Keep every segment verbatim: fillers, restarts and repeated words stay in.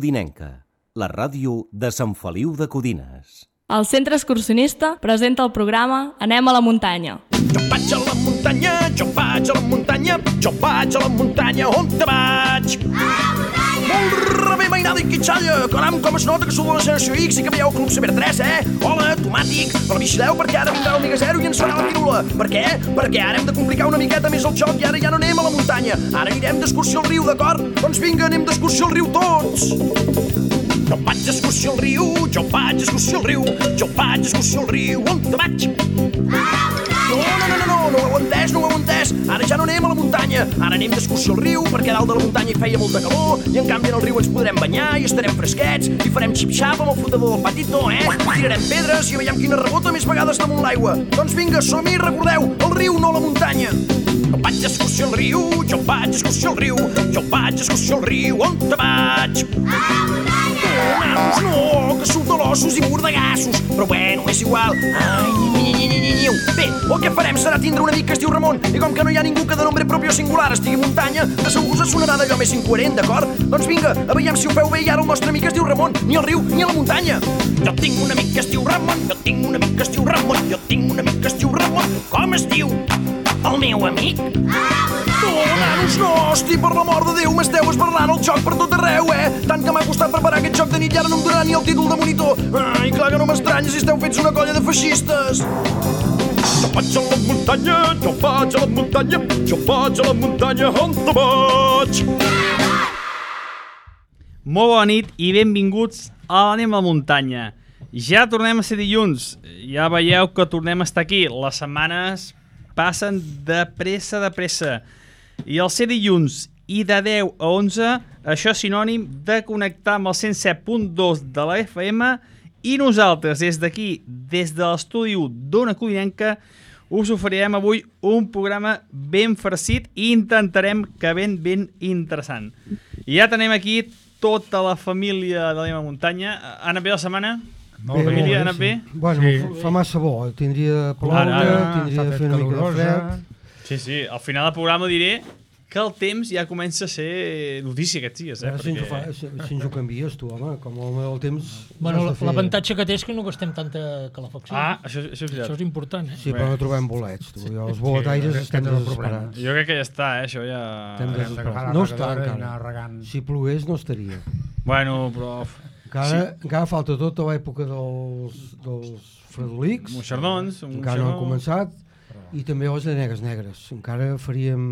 Codinenca, la ràdio de Sant Feliu de Codines. El Centre Excursionista presenta el programa Anem a la muntanya. Jo vaig a la muntanya, jo vaig a la muntanya, jo vaig a la muntanya, on te vaig? A la muntanya! Molt rebé, mainada i quitxalla, caram, com es nota que sou de la generació X i que veieu Club Saber tres, eh? Hola, tomàtic, però vigileu perquè ara vindrà l'Omega Zero i ens farà la pirula. Per què? Perquè ara hem de complicar una miqueta més el joc i ara ja no anem a la muntanya. Ara anirem d'excursió al riu, d'acord? Doncs vinga, anem d'excursió al riu tots! Jo vaig d'excursió al riu, jo vaig d'excursió al riu, jo vaig d'excursió al riu, on te vaig? No, no, no, no, no, no ho heu entès, no ho heu entès. Ara ja no anem a la muntanya, ara anem d'excursió al riu perquè dalt de la muntanya hi feia molta calor i en canvi en el riu ens podrem banyar i estarem fresquets i farem xip-xap amb el flotador del patito, eh? Tirarem pedres i veiem quina rebota més vegades damunt l'aigua. Doncs vinga, som-hi, recordeu, el riu, no la muntanya. Jo vaig d'excursió al riu, jo vaig d'excursió al riu, jo vaig d'excursió al riu, on te vaig? A la muntanya! No, nanos, no, que surt de l'ossos i mordegassos, però bueno, és igual. Ai, ni, ni, ni, ni, ni. Bé, el que farem serà tindre un amic que es diu Ramon i com que no hi ha ningú que de nombre propi o singular estigui a muntanya, de segur us sonarà d'allò més incoherent, d'acord? Doncs vinga, a veiem si ho feu bé i ara el nostre amic es diu Ramon, ni al riu ni a la muntanya. Jo tinc un amic que es diu Ramon, jo tinc un amic que es diu Ramon, jo tinc un amic que es diu Ramon. Com es diu? El meu amic? No, nanos, no, hosti, per l'amor de Déu, m'esteu esbarrant el joc per tot arreu, eh? Tant que m'ha costat preparar aquest joc de nit i ara no em donarà ni el títol de monitor. Ai, clar que no m'estranya si esteu fets una colla de feixistes. Jo vaig a la muntanya, jo vaig a la muntanya, jo vaig a la muntanya, on te vaig? Molt bona nit i benvinguts a l'Anem a la muntanya. Ja tornem a ser dilluns, ja veieu que tornem a estar aquí. Les setmanes passen de pressa, de pressa. I el ser dilluns i de deu a onze, això és sinònim de connectar amb el cent set punt dos de la F M i nosaltres, des d'aquí, des de l'estudi d'Ona Codinenca, us oferirem avui un programa ben farcit i intentarem que ben, ben interessant. I ja tenim aquí tota la família de l'Anem a la muntanya. Ha anat bé la setmana? Molt bé, família, ha molt anat bé, bé? sí. Bueno, Sí. fa massa bo, tindria de ploure, Ara, ara, tindria de fer una mica de fred. Sí, sí, al final del programa diré que el temps ja comença a ser notícia aquests dies, eh? Ara, si, ens ho fa, Perquè... si, si ens ho canvies tu, home, com el, el temps... Bueno, has de fer- l'avantatge que té és que no gastem tanta calefacció. Ah, això, això és Això veritat. és important, eh? Sí, però no trobem bolets, tu. Jo, els boletaires Sí, estem aquest és el desesperats. Jo crec que ja està, eh? Això ja... Estem Hem d'agafar la No està regadora i encara. anar regant. Si plogués no estaria. Bueno, però... Encara, encara falta tota l'època dels, dels fredolics, Moixernons... un encara no han moixernó. començat, i també les llanegues negres. Encara faríem...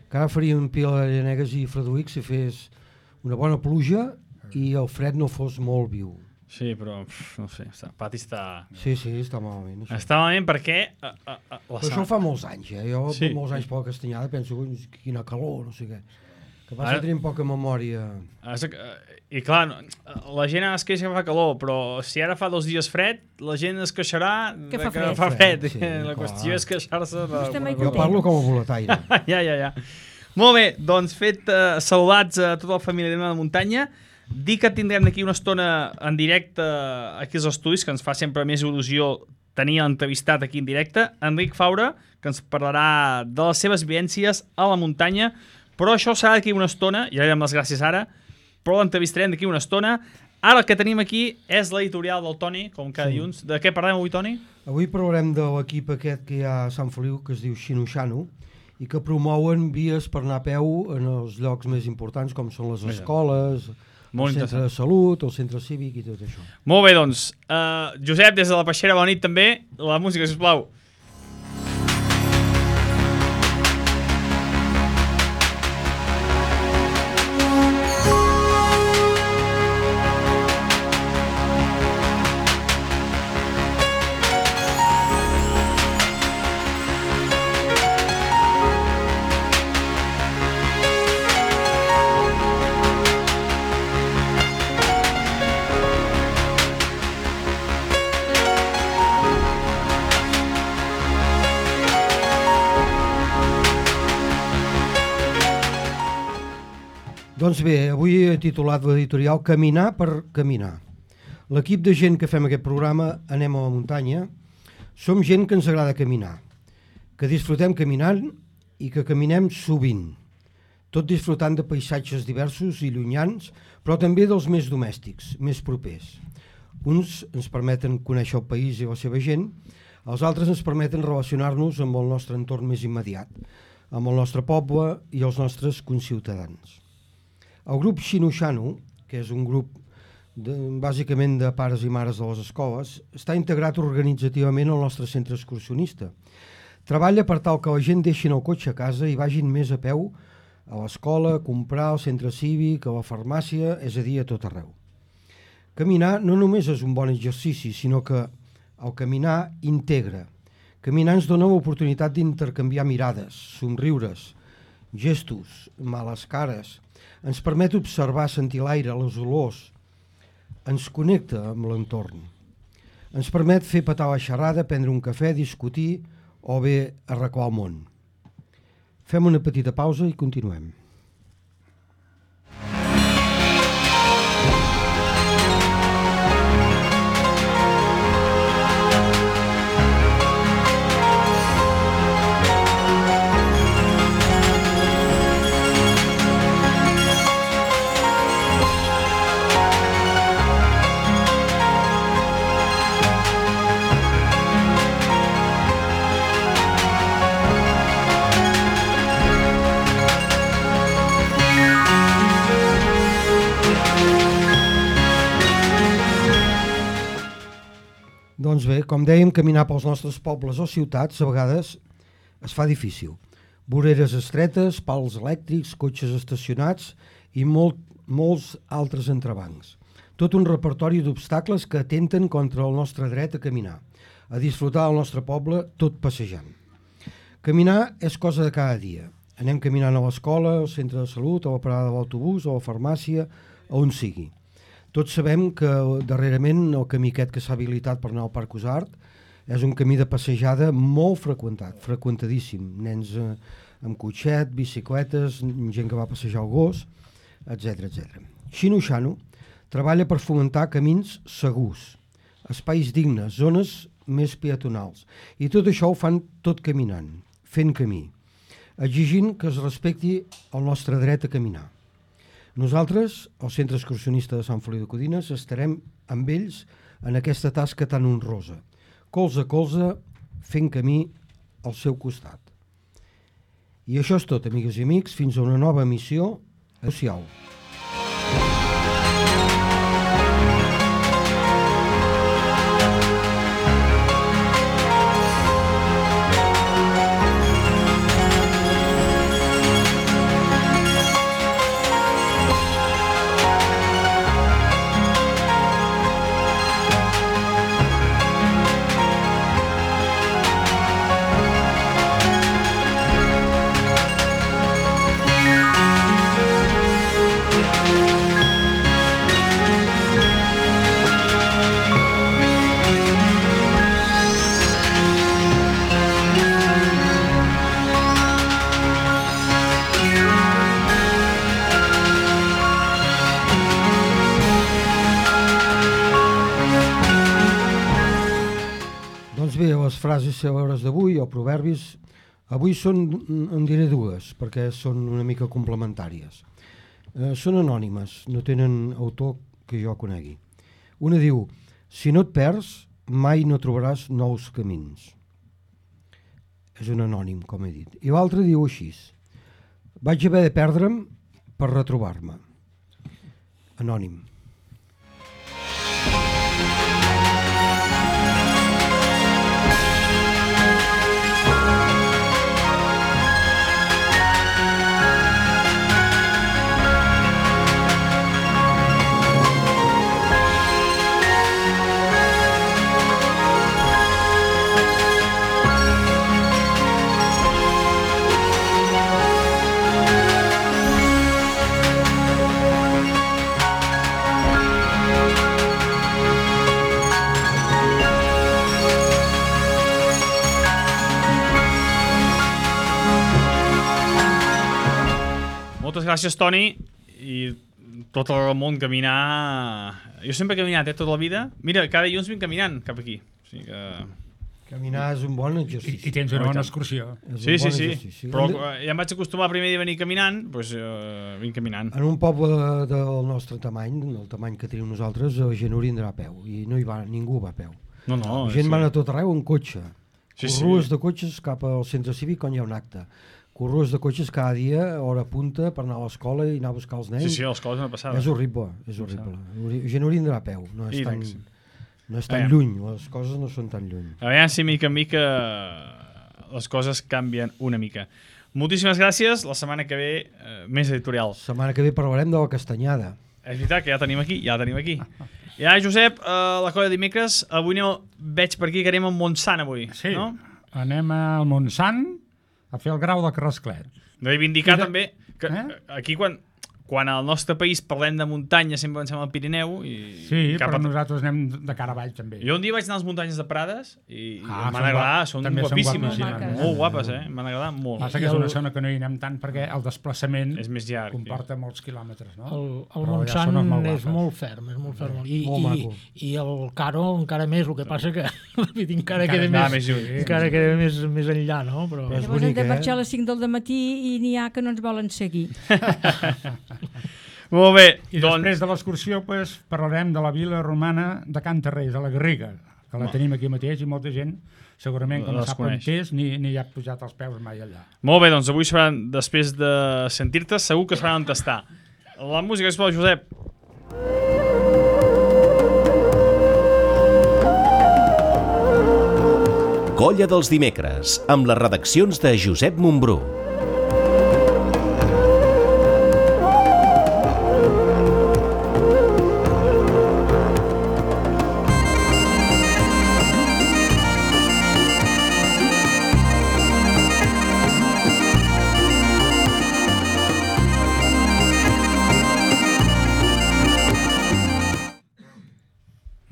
Encara faríem pila de llanegues i fredolics si fes una bona pluja i el fred no fos molt viu. Sí, però... Pff, no sé, està, el pati està... Sí, sí, està malament. Això. Està malament perquè... Uh, uh, uh, la Però això fa molts anys, eh? Jo Sí. sí. molts anys per la Castanyada penso que quina calor, no sé què. Que passa Ara- que tenim poca memòria. I clar, no, la gent es queixa que fa calor, però si ara fa dos dies fred, la gent es queixarà Que de fa que fred. fa fred. Sí, la clar. qüestió és queixar-se de... Estem mai Jo content. parlo com a boletaire. ja, ja, ja. Molt bé, doncs fet uh, saludats a tota la família de la muntanya. Dic que tindrem d'aquí una estona en directe aquí als estudis, que ens fa sempre més il·lusió tenir l'entrevistat aquí en directe, Enric Faura, que ens parlarà de les seves vivències a la muntanya, però això serà d'aquí una estona, ja li donem les gràcies ara, però l'entrevistarem d'aquí una estona. Ara el que tenim aquí és l'editorial del Toni, com cada Sí. dilluns. De què parlem avui, Toni? Avui parlarem de l'equip aquest que hi ha a Sant Feliu, que es diu Xino-Xano, i que promouen vies per anar a peu en els llocs més importants, com són les escoles, Molt el centre interessant. de salut, el centre cívic i tot això. Molt bé, doncs. Uh, Josep, des de la Peixera, bona nit també. La música, sisplau. Doncs bé, avui he titulat l'editorial Caminar per caminar. L'equip de gent que fem aquest programa, Anem a la muntanya, som gent que ens agrada caminar, que disfrutem caminant i que caminem sovint, tot disfrutant de paisatges diversos i llunyans, però també dels més domèstics, més propers. Uns ens permeten conèixer el país i la seva gent, els altres ens permeten relacionar-nos amb el nostre entorn més immediat, amb el nostre poble i els nostres conciutadans. El grup Xino-Xano, que és un grup de, bàsicament de pares i mares de les escoles, està integrat organitzativament al nostre centre excursionista. Treballa per tal que la gent deixin el cotxe a casa i vagin més a peu a l'escola, a comprar, al centre cívic, a la farmàcia, és a dir, a tot arreu. Caminar no només és un bon exercici, sinó que el caminar integra. Caminar ens dona l'oportunitat d'intercanviar mirades, somriures, gestos, males cares. Ens permet observar, sentir l'aire, les olors. Ens connecta amb l'entorn. Ens permet fer petar la xerrada, prendre un cafè, discutir o bé arreglar el món. Fem una petita pausa i continuem. Doncs bé, com dèiem, caminar pels nostres pobles o ciutats a vegades es fa difícil. Voreres estretes, pals elèctrics, cotxes estacionats i molt, molts altres entrebancs. Tot un repertori d'obstacles que atenten contra el nostre dret a caminar, a disfrutar del nostre poble tot passejant. Caminar és cosa de cada dia. Anem caminant a l'escola, al centre de salut, a la parada de l'autobús, a la farmàcia, a on sigui. Tots sabem que darrerament el camí aquest que s'ha habilitat per anar al Parc Usart és un camí de passejada molt freqüentat, freqüentadíssim. Nens eh, amb cotxet, bicicletes, gent que va passejar el gos, etcètera etcètera. Xino-Xano treballa per fomentar camins segurs, espais dignes, zones més peatonals. I tot això ho fan tot caminant, fent camí, exigint que es respecti el nostre dret a caminar. Nosaltres, el Centre Excursionista de Sant Feliu de Codines, estarem amb ells en aquesta tasca tan honrosa, colze a colze, fent camí al seu costat. I això és tot, amigues i amics, fins a una nova emissió. Adéu-siau. Frases cèlebres d'avui o proverbis, avui són, en diré dues, perquè són una mica complementàries. Eh, són anònimes, no tenen autor que jo conegui. Una diu, si no et perds, mai no trobaràs nous camins. És un anònim, com he dit. I l'altra diu així, vaig haver de perdre'm per retrobar-me. Anònim. Moltes gràcies, Toni, i tot el món caminar... Jo sempre he caminat, eh, tota la vida. Mira, cada dilluns vinc caminant cap aquí. O sigui que... Caminar és un bon I, exercici. i tens una bona excursió. És Sí, un sí, bon sí. exercici. Però En- eh, ja em vaig acostumar primer dia a venir caminant, doncs uh, vinc caminant. En un poble del nostre tamany, del tamany que tenim nosaltres, la gent hauria d'anar a peu, i no hi va, ningú va a peu. No, no. La gent sí. va a tot arreu en cotxe. Sí, sí. Corrues de cotxes cap al centre cívic quan hi ha un acte. Corrues de cotxes cada dia, hora punta, per anar a l'escola i anar a buscar els nens. Sí, sí, les coses no passaven. És horrible, és horrible. La gent hauria d'anar a peu, no és I tan, tant que sí. no és tan Aviam. lluny, les coses no són tan lluny. A veure si mica en mica les coses canvien una mica. Moltíssimes gràcies. La setmana que ve, eh, més editorial. La setmana que ve parlarem de la castanyada. És veritat que ja tenim aquí, ja tenim aquí. Ja, Josep, eh, la colla de dimecres, avui aneu, veig per aquí que anem a Montsant avui, Sí, no? anem al Montsant a fer el grau de Carrasclet. De reivindicar I de- també que Eh? aquí quan, quan al nostre país parlem de muntanya sempre pensem al Pirineu i Sí, cap però a... nosaltres anem de cara avall també. Jo un dia vaig anar a les muntanyes de Prades i, Ah, i m'han són agradat, guap- són també són guapíssimes, guapíssimes, molt eh? guapes, eh? M'han agradat molt. Passa que és una zona que no hi anem tant perquè el desplaçament És més llarg. comporta molts quilòmetres, no? El, el Però allà Montsant són molt és guapes. molt ferm, és molt ferm. I, Molt i, maco. i el Caro encara més, el que passa que encara, Encara queda està més, més lluny. encara queda més, més enllà, no? Però, Però és Llavors hem bonic, de eh? marxar a les cinc del matí i n'hi ha que no ens volen seguir. Molt bé, I doncs... després de l'excursió pues, parlarem de la vila romana de Can Tarrés, a la Garriga, que la tenim aquí mateix i molta gent segurament que no Les sap on coneix. és ni, ni ha pujat els peus mai allà. Molt bé, doncs avui es faran, després de sentir-te, segur que es faran tastar. La música, sisplau, Josep. Colla dels dimecres, amb les redaccions de Josep Montbrú.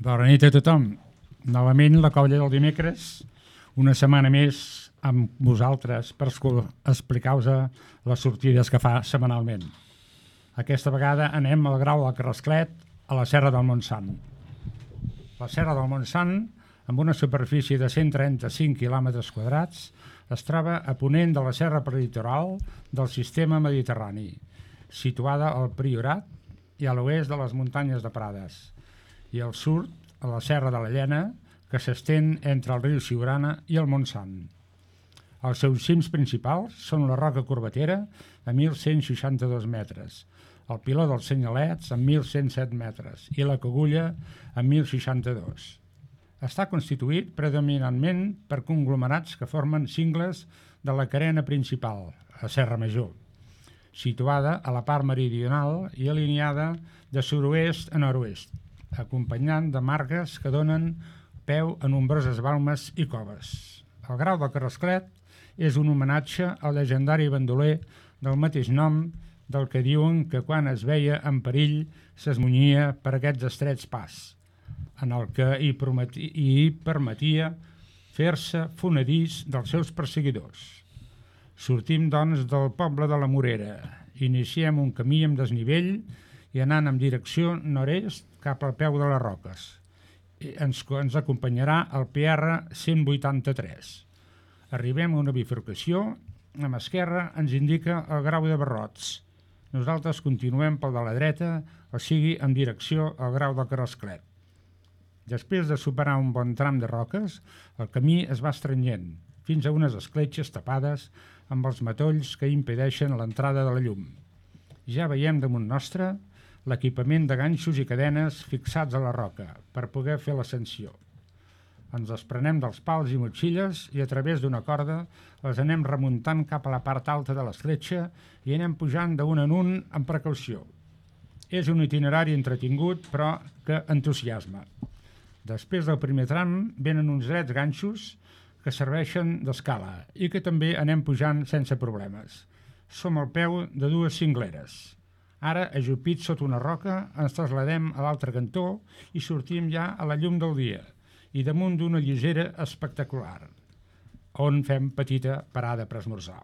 Bona nit a tothom. Novament la colla del dimecres, una setmana més amb vosaltres per esco- explicar-vos les sortides que fa setmanalment. Aquesta vegada anem al grau del Carrasclet a la Serra del Montsant. La Serra del Montsant, amb una superfície de cent trenta-cinc quilòmetres quadrats, es troba a ponent de la serra prelitoral del sistema mediterrani, situada al Priorat i a l'oest de les muntanyes de Prades, i al sud a la Serra de la Llena, que s'estén entre el riu Siurana i el Montsant. Els seus cims principals són la Roca Corbatera, a mil cent seixanta-dos metres, el Piló dels Senyalets, amb mil cent set metres, i la Cogulla, amb mil seixanta-dos. Està constituït predominantment per conglomerats que formen cingles de la carena principal, a Serra Major, situada a la part meridional i alineada de sud-oest a nord-oest, acompanyant de margues que donen peu a nombroses balmes i coves. El grau del Carrasclet és un homenatge al llegendari bandoler del mateix nom, del que diuen que quan es veia en perill s'esmunyia per aquests estrets pas, en el que hi, prometi, hi permetia fer-se fonedís dels seus perseguidors. Sortim, doncs, del poble de la Morera, iniciem un camí amb desnivell i anant en direcció nord-est cap al peu de les Roques. I ens, ens acompanyarà el P R cent vuitanta-tres. Arribem a una bifurcació, amb esquerra ens indica el grau de Barrots. Nosaltres continuem pel de la dreta, o sigui, en direcció al grau del Carrasclet. Després de superar un bon tram de roques, el camí es va estrenyent, fins a unes escletxes tapades amb els matolls que impedeixen l'entrada de la llum. Ja veiem damunt nostre l'equipament de ganxos i cadenes fixats a la roca per poder fer l'ascensió. Ens desprenem dels pals i motxilles i a través d'una corda les anem remuntant cap a la part alta de l'escletxa i anem pujant d'un en un amb precaució. És un itinerari entretingut, però que entusiasma. Després del primer tram venen uns drets ganxos que serveixen d'escala i que també anem pujant sense problemes. Som al peu de dues cingleres. Ara, ajupits sota una roca, ens trasladem a l'altre cantó i sortim ja a la llum del dia i damunt d'una lleugera espectacular, on fem petita parada per esmorzar.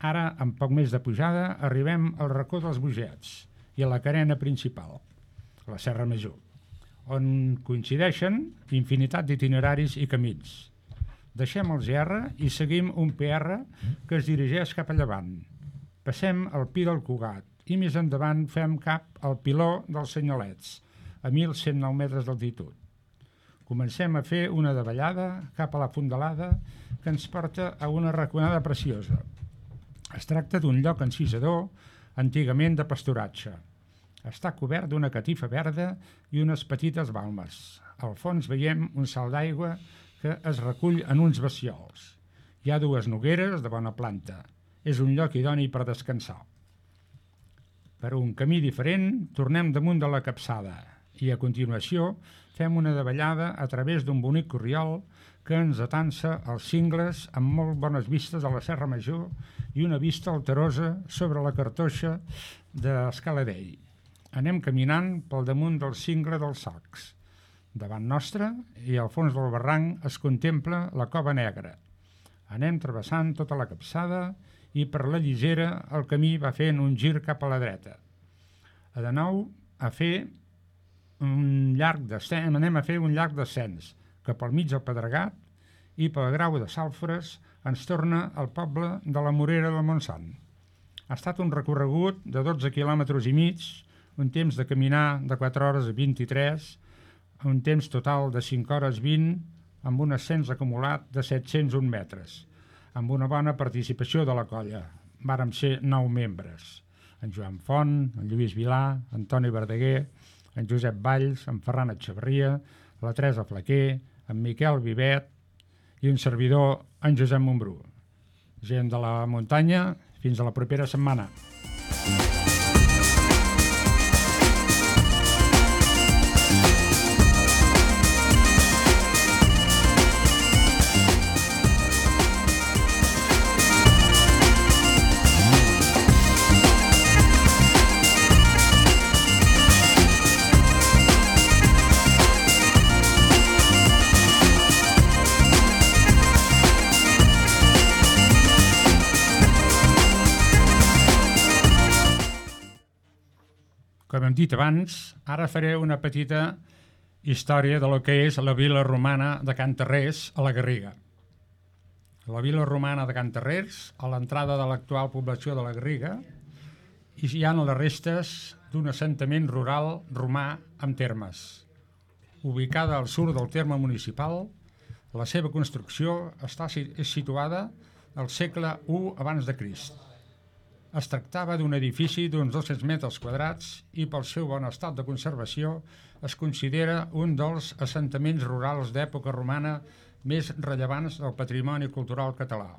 Ara, amb poc més de pujada, arribem al racó dels Bogets i a la carena principal, la Serra Major, on coincideixen infinitat d'itineraris i camins. Deixem el G R i seguim un P R que es dirigeix cap a llevant. Passem el Pi del Cugat i més endavant fem cap al Piló dels Senyalets, a mil cent nou metres d'altitud. Comencem a fer una davallada cap a la Fondalada que ens porta a una raconada preciosa. Es tracta d'un lloc encisador, antigament de pasturatge. Està cobert d'una catifa verda i unes petites balmes. Al fons veiem un salt d'aigua que es recull en uns bassiols. Hi ha dues nogueres de bona planta. És un lloc idoni per descansar. Per un camí diferent, tornem damunt de la capçada i a continuació fem una davallada a través d'un bonic corriol que ens atansa als cingles amb molt bones vistes a la Serra Major i una vista alterosa sobre la cartoixa d'Escaladell. Anem caminant pel damunt del cingle dels Sacs. Davant nostre i al fons del barranc es contempla la Cova Negra. Anem travessant tota la capçada i per la Lligera el camí va fent un gir cap a la dreta. De nou a fer un llarg descens, anem a fer un llarg descens que pel mig del Pedregat i pel Grau de Sàlfores ens torna al poble de la Morera del Montsant. Ha estat un recorregut de dotze quilòmetres i mig, un temps de caminar de quatre hores a vint-i-tres, un temps total de cinc hores vint, amb un ascens acumulat de set-cents un metres, amb una bona participació de la colla. Vàrem ser nou membres. En Joan Font, en Lluís Vilà, en Toni Verdaguer, en Josep Valls, en Ferran Etxeverria, la Teresa Flaquer, en Miquel Vivet i un servidor, en Josep Montbrú. Gent de la muntanya, fins a la propera setmana. Com hem dit abans, ara faré una petita història de lo que és la vila romana de Can Tarrés a la Garriga. La vila romana de Can Tarrés, a l'entrada de l'actual població de la Garriga, hi ha les restes d'un assentament rural romà amb termes. Ubicada al sud del terme municipal, la seva construcció està situada al segle u abans de Crist. Es tractava d'un edifici d'uns dos-cents metres quadrats i pel seu bon estat de conservació es considera un dels assentaments rurals d'època romana més rellevants del patrimoni cultural català.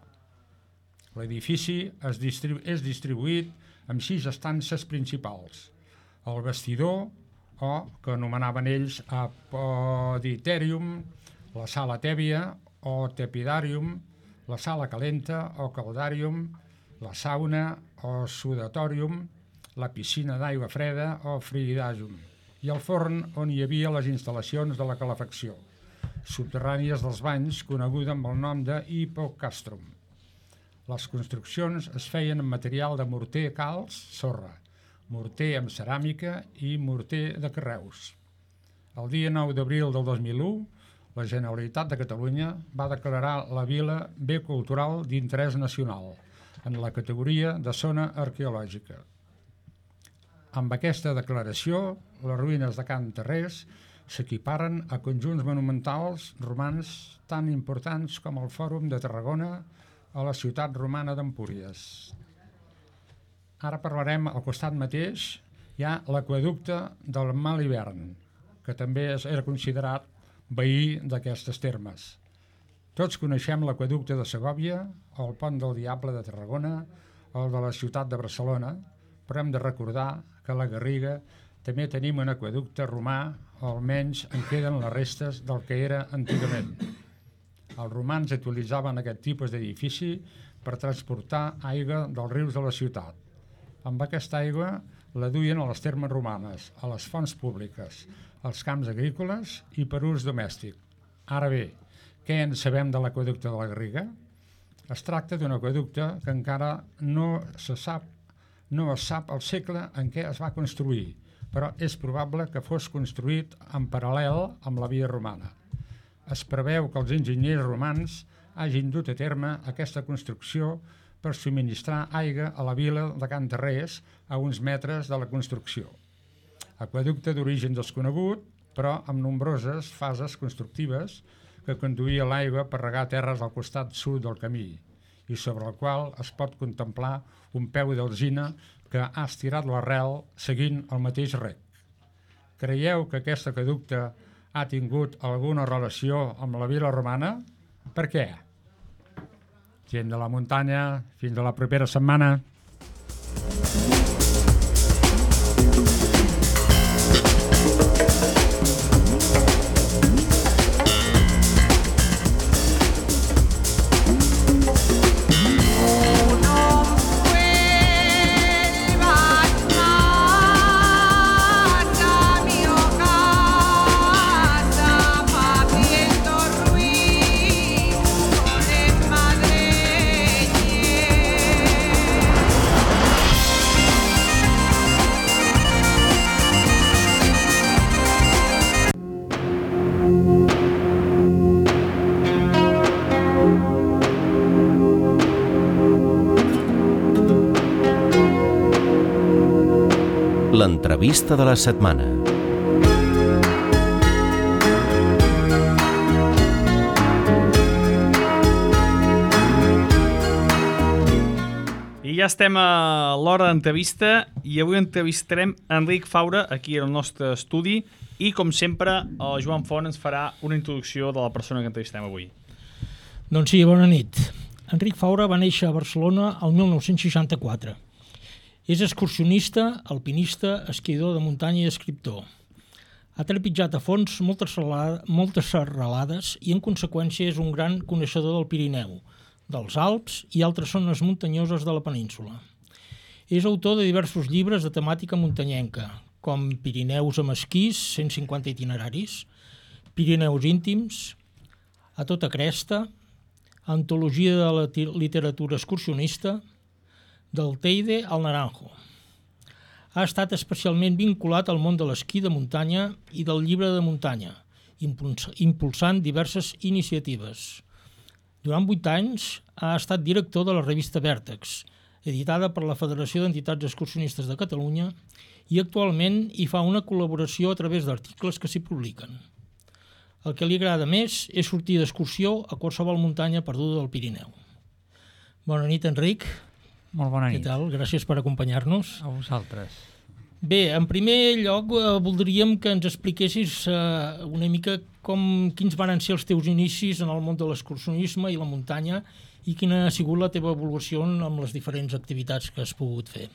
L'edifici es distribu- és distribuït amb sis estances principals. El vestidor, o que anomenaven ells apoditerium, la sala tèbia o tepidarium, la sala calenta o caldarium, la sauna o sudatorium, la piscina d'aigua freda o frigidàgium i el forn on hi havia les instal·lacions de la calefacció, subterrànies dels banys, coneguda amb el nom de hipocastrum. Les construccions es feien amb material de morter, calç, sorra, morter amb ceràmica i morter de carreus. El dia nou d'abril del dos mil u, la Generalitat de Catalunya va declarar la vila bé cultural d'interès nacional, en la categoria de zona arqueològica. Amb aquesta declaració, les ruïnes de Can Tarrés s'equiparen a conjunts monumentals romans tan importants com el Fòrum de Tarragona o la ciutat romana d'Empúries. Ara parlarem, al costat mateix, hi ha l'aqüeducte del Mal Hivern, que també era considerat veí d'aquestes termes. Tots coneixem l'aqüeducte de Segòvia, o el Pont del Diable de Tarragona, o el de la ciutat de Barcelona, però hem de recordar que a la Garriga també tenim un aqüeducte romà, o almenys en queden les restes del que era antigament. Els romans utilitzaven aquest tipus d'edifici per transportar aigua dels rius de la ciutat. Amb aquesta aigua la duien a les termes romanes, a les fonts públiques, als camps agrícoles i per ús domèstic. Ara bé, què en sabem de l'aqüeducte de la Garriga? Es tracta d'un aqüeducte que encara no se sap, no es sap el segle en què es va construir, però és probable que fos construït en paral·lel amb la via romana. Es preveu que els enginyers romans hagin dut a terme aquesta construcció per subministrar aigua a la vila de Can Tarrés a uns metres de la construcció. Aqüeducte d'origen desconegut, però amb nombroses fases constructives que conduïa l'aigua per regar terres al costat sud del camí i sobre el qual es pot contemplar un peu d'alzina que ha estirat l'arrel seguint el mateix rec. Creieu que aquest aqüeducte ha tingut alguna relació amb la vila romana? Per què? Gent de la muntanya, fins a la propera setmana. L'entrevista de la setmana. I ja estem a l'hora d'entrevista i avui entrevistarem Enric Faura aquí al nostre estudi i, com sempre, el Joan Font ens farà una introducció de la persona que entrevistem avui. Doncs sí, bona nit. Enric Faura va néixer a Barcelona el mil nou-cents seixanta-quatre. És excursionista, alpinista, esquiador de muntanya i escriptor. Ha trepitjat a fons moltes, moltes serralades i, en conseqüència, és un gran coneixedor del Pirineu, dels Alps i altres zones muntanyoses de la península. És autor de diversos llibres de temàtica muntanyenca, com Pirineus amb esquís, cent cinquanta itineraris, Pirineus íntims, A tota cresta, Antologia de la literatura excursionista, del Teide al Naranjo. Ha estat especialment vinculat al món de l'esquí de muntanya i del llibre de muntanya, impulsant diverses iniciatives. Durant vuit anys ha estat director de la revista Vèrtex, editada per la Federació d'Entitats Excursionistes de Catalunya, i actualment hi fa una col·laboració a través d'articles que s'hi publiquen. El que li agrada més és sortir d'excursió a qualsevol muntanya perduda del Pirineu. Bona nit, Enric. Molt bona nit. Què tal? Gràcies per acompanyar-nos. A vosaltres. Bé, en primer lloc eh, voldríem que ens expliquessis eh, una mica com, quins van ser els teus inicis en el món de l'excursionisme i la muntanya i quina ha sigut la teva evolució amb les diferents activitats que has pogut fer.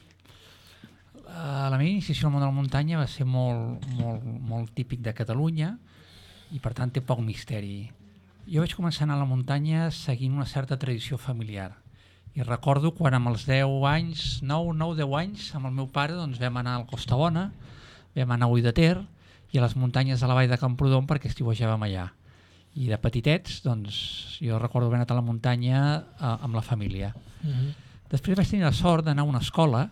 Uh, la meva iniciació al món de la muntanya va ser molt, molt, molt típic de Catalunya i per tant té poc misteri. Jo vaig començar a anar a la muntanya seguint una certa tradició familiar. I recordo quan amb els deu anys, nou, nou, deu anys, amb el meu pare doncs, vam anar al Costa Bona, vam anar a Ull de Ter i a les muntanyes de la vall de Camprodon perquè estiuejàvem allà. I de petitets, doncs, jo recordo haver anat a la muntanya eh, amb la família. Mm-hmm. Després vaig tenir la sort d'anar a una escola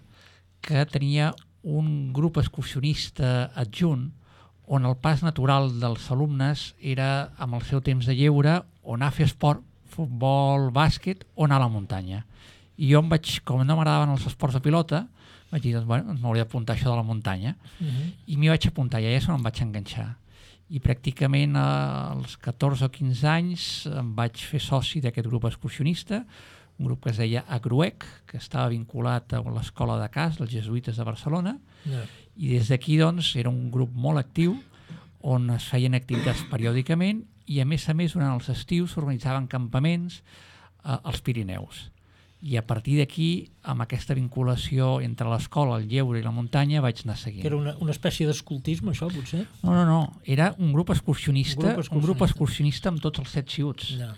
que tenia un grup excursionista adjunt on el pas natural dels alumnes era, amb el seu temps de lleure, o anar a fer esport, futbol, bàsquet o anar a la muntanya. I jo em vaig, com no m'agradaven els esports de pilota, vaig dir, doncs, bueno, m'hauria d'apuntar això de la muntanya. Uh-huh. I m'hi vaig apuntar, i allà és on em vaig enganxar. I pràcticament als catorze o quinze anys em vaig fer soci d'aquest grup excursionista, un grup que es deia Agruec, que estava vinculat a l'escola de Cas, els jesuïtes de Barcelona, Yeah. i des d'aquí doncs, era un grup molt actiu on es feien activitats periòdicament i a més a més durant els estius s'organitzaven campaments eh, als Pirineus. I a partir d'aquí, amb aquesta vinculació entre l'escola, el lleure i la muntanya, vaig anar seguint. Que era una, una espècie d'escoltisme, això, potser? No, no, no. Era un grup excursionista, Un grup excursionista. un grup excursionista amb tots els set xiuts, Ja.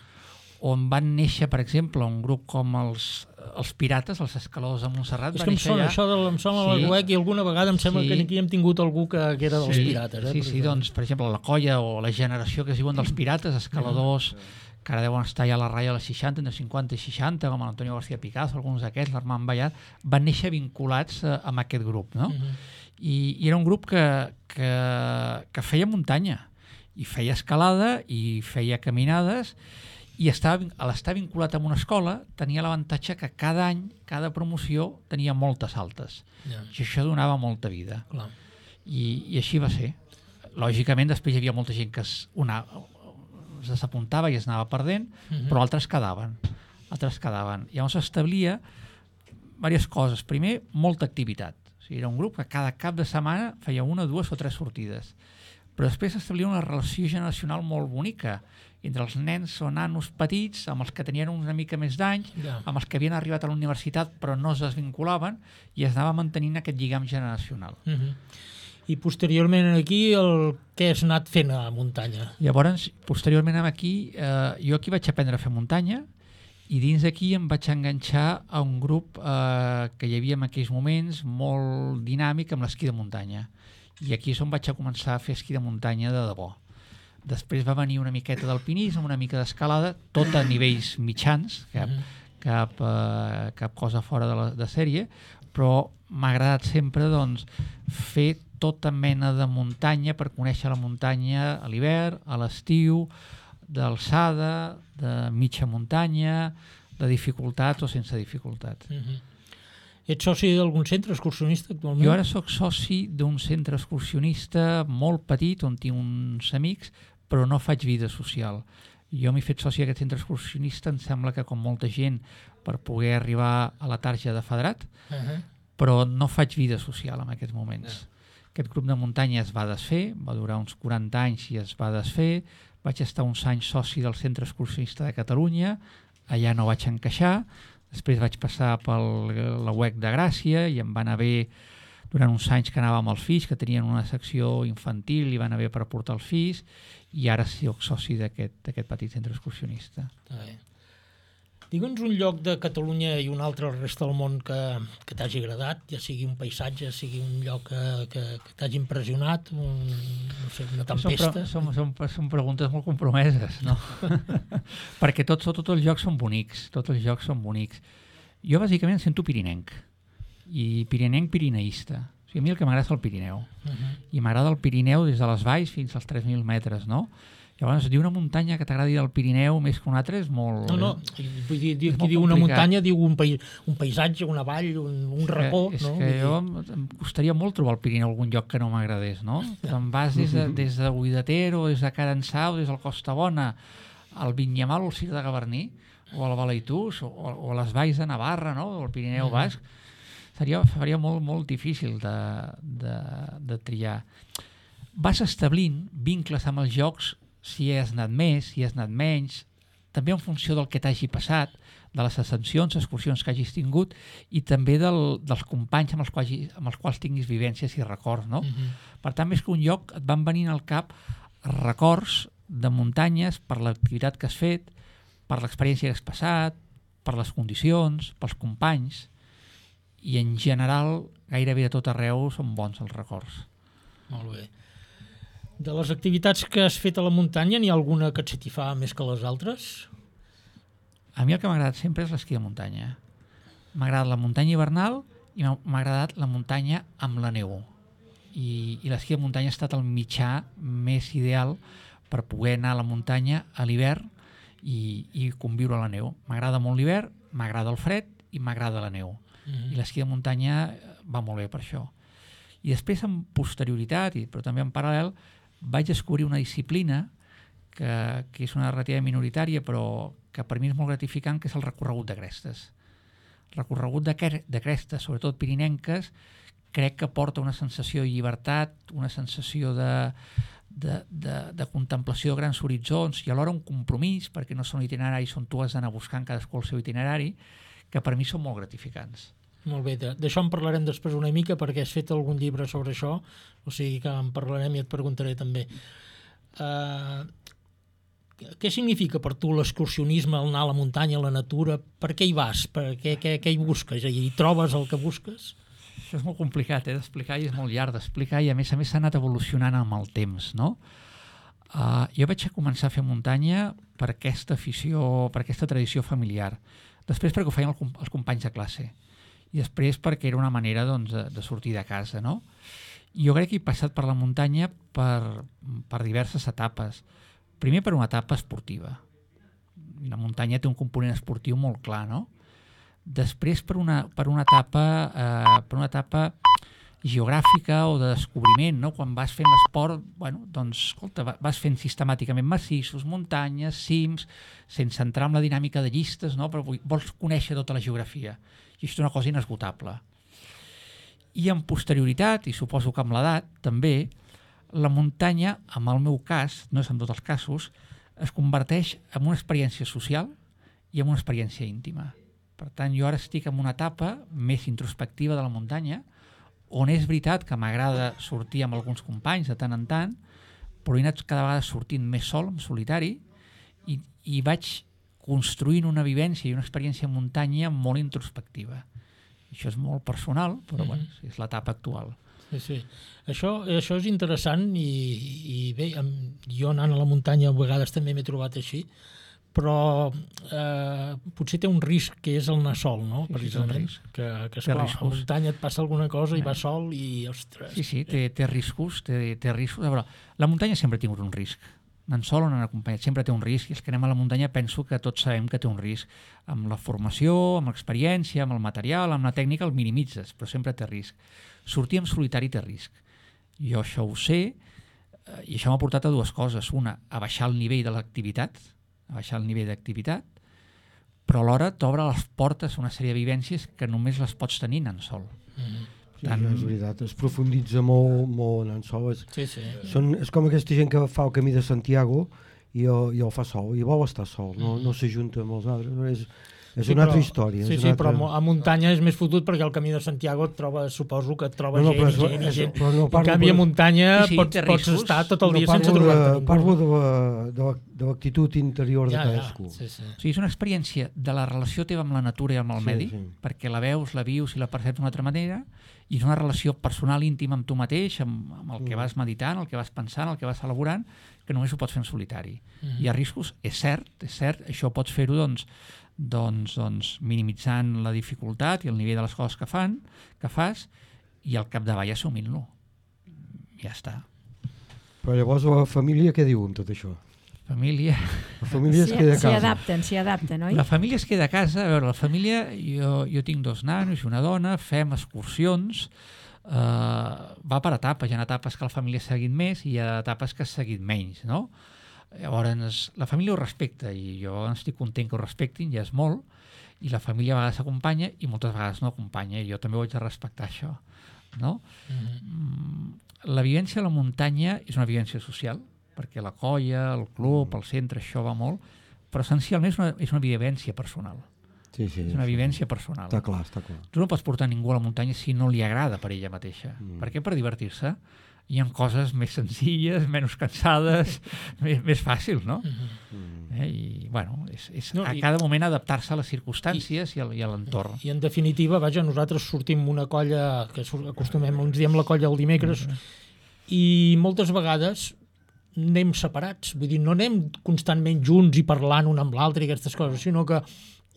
on van néixer, per exemple, un grup com els, els Pirates, els escaladors de Montserrat. És que em sona això, de, em sona Sí. la Guec i alguna vegada em sembla Sí. que aquí hem tingut algú que, que era dels Sí, pirates. Eh? Sí, sí, doncs, per exemple, la colla o la generació que es diuen dels pirates, escaladors, que ara deuen estar ja a la ratlla de les seixanta, entre cinquanta i seixanta, com l'Antonio García Picasso, alguns d'aquests, l'Armand Ballat, van néixer vinculats eh, amb aquest grup, no? Uh-huh. I, I era un grup que, que, que feia muntanya, i feia escalada, i feia caminades, i estava, a l'estar vinculat amb una escola tenia l'avantatge que cada any, cada promoció tenia moltes altes. Ja. I això donava molta vida. Clar. I, I així va ser. Lògicament, després hi havia molta gent que es, una, es desapuntava i es anava perdent, Mhm. però altres quedaven. Altres quedaven. Llavors establia diverses coses. Primer, molta activitat. O sigui, era un grup que cada cap de setmana feia una, dues o tres sortides. Però després establia una relació generacional molt bonica entre els nens o nanos petits, amb els que tenien una mica més d'anys, Ja. amb els que havien arribat a la universitat però no es desvinculaven, i es anava mantenint aquest lligam generacional. Mhm. I posteriorment aquí el què has anat fent a muntanya? Llavors, posteriorment aquí, eh, jo aquí vaig aprendre a fer muntanya, i dins d'aquí em vaig enganxar a un grup eh, que hi havia en aquells moments molt dinàmic amb l'esquí de muntanya. I aquí és on vaig a començar a fer esquí de muntanya de debò. Després va venir una miqueta d'alpinisme, una mica d'escalada, tot a nivells mitjans, cap, Mhm. cap, eh, cap cosa fora de, la, de sèrie, però m'ha agradat sempre doncs, fer tota mena de muntanya per conèixer la muntanya a l'hivern, a l'estiu, d'alçada, de mitja muntanya, de dificultats o sense dificultats. Mhm. Ets soci d'algun centre excursionista actualment? Jo ara sóc soci d'un centre excursionista molt petit on tinc uns amics, però no faig vida social. Jo m'he fet soci d'aquest centre excursionista, em sembla que com molta gent, per poder arribar a la tarja de Federat, Uh-huh. però no faig vida social en aquests moments. Aquest grup de muntanya es va desfer, va durar uns quaranta anys i es va desfer. Vaig estar uns anys soci del Centre Excursionista de Catalunya, allà no vaig encaixar. Després vaig passar per la U E C de Gràcia i em va anar bé durant uns anys que anava amb els fills, que tenien una secció infantil i va anar bé per portar els fills, i ara soc soci d'aquest petit centre excursionista. Està bé. Digue'ns un lloc de Catalunya i un altre al resta del món que, que t'hagi agradat, ja sigui un paisatge, sigui un lloc que, que, que t'hagi impressionat, un, no sé, una tempesta. Són, són, són, són preguntes molt compromeses, no? Perquè tots, tots els jocs són bonics, tots els jocs són bonics. Jo bàsicament em sento pirinenc, i pirinenc pirineista. O sigui, a mi el que m'agrada és el Pirineu. Uh-huh. I m'agrada el Pirineu des de les valls fins als tres mil metres, no? Llavors, dir una muntanya que t'agradi del Pirineu més que una altra és molt... No, no, vull dir, dir qui diu una complicat. muntanya diu un, país, un paisatge, una vall, un, un racó, és no? que Vull jo dir- em, em costaria molt trobar al Pirineu algun lloc que no m'agradés, no? Te'n vas des de, des de Buidatero, des de Carançau, des del Costa Bona, al Vinyamal o al Cir de Gavarní, o al Balaitús, o, o a les valls de Navarra, no? O al Pirineu Mhm. Basc, seria, faria molt, molt difícil de, de, de triar. Vas establint vincles amb els jocs, si has anat més, si has anat menys, també en funció del que t'hagi passat, de les ascensions, excursions que hagis tingut, i també del, dels companys amb els, quals, amb els quals tinguis vivències i records, no? Mhm. Per tant, més que un lloc, et van venint al cap records de muntanyes per l'activitat que has fet, per l'experiència que has passat, per les condicions, pels companys, i en general, gairebé de tot arreu, són bons els records. Molt bé. De les activitats que has fet a la muntanya, n'hi ha alguna que et satisfà més que les altres? A mi el que m'ha agradat sempre és l'esquí de muntanya. M'ha agradat la muntanya hivernal i m'ha m'ha agradat la muntanya amb la neu. I, i l'esquí de muntanya ha estat el mitjà més ideal per poder anar a la muntanya a l'hivern i, i conviure a la neu. M'agrada molt l'hivern, m'agrada el fred i m'agrada la neu. Mhm. I l'esquí de muntanya va molt bé per això. I després, en posterioritat, i, però també en paral·lel, vaig descobrir una disciplina que, que és una relativa minoritària, però que per mi és molt gratificant, que és el recorregut de crestes. El recorregut de, cre de crestes, sobretot pirinenques, crec que porta una sensació de llibertat, una sensació de, de, de, de contemplació de grans horitzons i alhora un compromís, perquè no són itineraris on tu has d'anar buscant cadascú el seu itinerari, que per mi són molt gratificants. Molt bé, de- d'això en parlarem després una mica perquè has fet algun llibre sobre això, o sigui que en parlarem i et preguntaré també. Uh, què significa per tu l'excursionisme, el anar a la muntanya, a la natura? Per què hi vas? Per què, què, què hi busques? Hi trobes el que busques? Això és molt complicat eh, d'explicar i és molt llarg d'explicar, i a més a més s'ha anat evolucionant amb el temps, no? Uh, jo vaig començar a fer muntanya per aquesta afició, per aquesta tradició familiar. Després perquè ho feien el, com- els companys de classe. I després perquè era una manera doncs, de, de sortir de casa, no? I jo crec que he passat per la muntanya per, per diverses etapes. Primer per una etapa esportiva. I la muntanya té un component esportiu molt clar, no? Després, per una, per una etapa eh, per una etapa geogràfica o de descobriment, no? Quan vas fent l'esport, bueno, doncs, escolta, vas fent sistemàticament massissos, muntanyes, cims, sense entrar en la dinàmica de llistes, no? Però vols conèixer tota la geografia. I això és una cosa inesgotable. I en posterioritat, i suposo que amb l'edat, també, la muntanya, en el meu cas, no és en tots els casos, es converteix en una experiència social i en una experiència íntima. Per tant, jo ara estic en una etapa més introspectiva de la muntanya, on és veritat que m'agrada sortir amb alguns companys de tant en tant, però he anat cada vegada sortint més sol, en solitari, i, i vaig construint una vivència i una experiència en muntanya molt introspectiva. Això és molt personal, però mm-hmm. bueno, és l'etapa actual. Sí, sí. Això, això és interessant i, i bé, jo anant a la muntanya a vegades també m'he trobat així, però eh, potser té un risc que és el anar sol, no? Sí, precisament, sí, que, que esclar, a la muntanya et passa alguna cosa i vas sol i, ostres... Sí, sí, té, té riscos, té, té riscos. A veure, la muntanya sempre ha tingut un risc. Anant sol o anant acompanyat, sempre té un risc, i els que anem a la muntanya penso que tots sabem que té un risc. Amb la formació, amb l'experiència, amb el material, amb la tècnica el minimitzes, però sempre té risc. Sortir en solitari té risc. Jo això ho sé, i això m'ha portat a dues coses. Una, a baixar el nivell de l'activitat, a baixar el nivell d'activitat, però alhora t'obre les portes a una sèrie de vivències que només les pots tenir anant sol. Mm-hmm. Sí, tant... és veritat, es profunditza molt, molt anant sol. És, sí, sí. Són, és com aquesta gent que fa el camí de Santiago i, i el fa sol, i vol estar sol, no, no s'ajunta amb els altres. És, és sí, una però, altra història. Sí, és sí, altra... però a muntanya és més fotut perquè al camí de Santiago et troba, suposo que et troba no, no, gent, és, gent i gent. No en canvi, a muntanya sí, sí, pots, pots estar tot el no, dia sense trobar-te ningú. Parlo de l'actitud interior ja, de cadascú. Ja, sí, sí. O sigui, és una experiència de la relació teva amb la natura i amb el sí, medi, sí. perquè la veus, la vius i la perceps d'una altra manera, i és una relació personal íntima amb tu mateix, amb, amb el que vas meditant, el que vas pensant, el que vas elaborant, que només ho pots fer en solitari. Mm-hmm. Hi ha riscos, és cert, és cert, això pots fer-ho doncs, doncs, doncs minimitzant la dificultat i el nivell de les coses que fan, que fas, i al capdavall assumint-lo. Ja està. Però llavors la família què diu amb tot això? Família... La família es queda a casa. S'hi adapten, s'hi adapten, oi? La família es queda a casa. A veure, la família, jo, jo tinc dos nanos i una dona, fem excursions, eh, va per etapes. Hi ha etapes que la família ha seguit més i hi ha etapes que ha seguit menys, no? Llavors, la família ho respecta i jo estic content que ho respectin, ja és molt, i la família a vegades acompanya i moltes vegades no acompanya, i jo també ho haig de respectar, això, no? Mm-hmm. La vivència a la muntanya és una vivència social, perquè la colla, el club, el centre, això va molt, però essencialment és una, és una vivència personal. Sí, sí, és una vivència personal. Està clar, està clar. Tu no pots portar ningú a la muntanya si no li agrada per ella mateixa. Mm. Per què? Per divertir-se. Hi ha coses més senzilles, menys cansades, més, més fàcils, no? Mm-hmm. eh? I, bueno, és, és no, a i, cada moment adaptar-se a les circumstàncies i, i a l'entorn. I, en definitiva, vaja, nosaltres sortim una colla, que acostumem, ens diem la colla el dimecres, mm-hmm. i moltes vegades anem separats, vull dir, no anem constantment junts i parlant un amb l'altre i aquestes coses, sinó que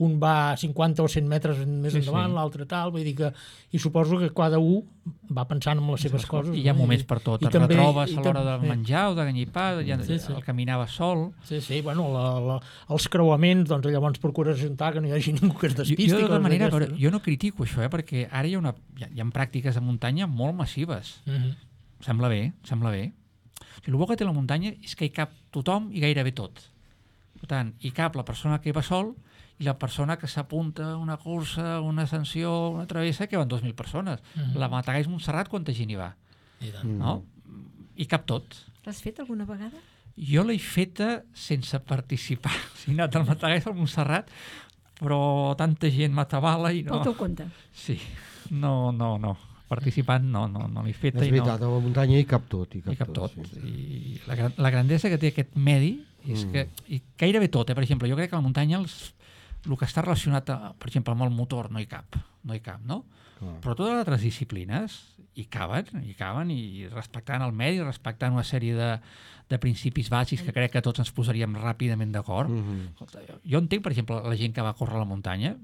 un va cinquanta o cent metres més endavant, sí, sí. l'altre tal, vull dir que... I suposo que cada un va pensant en les seves coses. I hi ha moments per tot, et també, retrobes a l'hora del menjar o de ganyipar, ja, sí, sí. el caminava sol... Sí, sí, bueno, la, la, els creuaments, doncs llavors procures ajuntar que no hi hagi ningú que es despisti. Jo, jo, de tota manera, però, jo no critico això, eh, perquè ara hi ha, una, hi ha, hi ha pràctiques de muntanya molt massives. Mm-hmm. Sembla bé, sembla bé. O sigui, el bo que té la muntanya és que hi cap tothom i gairebé tot. Per tant, hi cap la persona que hi va sol i la persona que s'apunta a una cursa, una ascensió, una travessa, que van dos mil persones. Mm-hmm. La Matagalls Montserrat, quanta gent hi va? I tant. No? Hi cap tot. L'has fet alguna vegada? Jo l'he feta sense participar. He anat al Matagalls al Montserrat, però tanta gent m'atabala i no... Pel teu compte. Sí, no, no, no. Participant no, no, no l'he feta. És veritat, no. A la muntanya hi cap tot. Hi cap, hi cap tot. tot sí. I la, la grandesa que té aquest medi és mm. que, i gairebé tot, eh? Per exemple, jo crec que a la muntanya els, el que està relacionat, a, per exemple, amb el motor no hi cap, no hi cap, no? Ah. Però totes les altres disciplines hi caben, hi caben, i respectant el medi, respectant una sèrie de, de principis bàsics que crec que tots ens posaríem ràpidament d'acord. Mm-hmm. Jo entenc, per exemple, la gent que va córrer a la muntanya,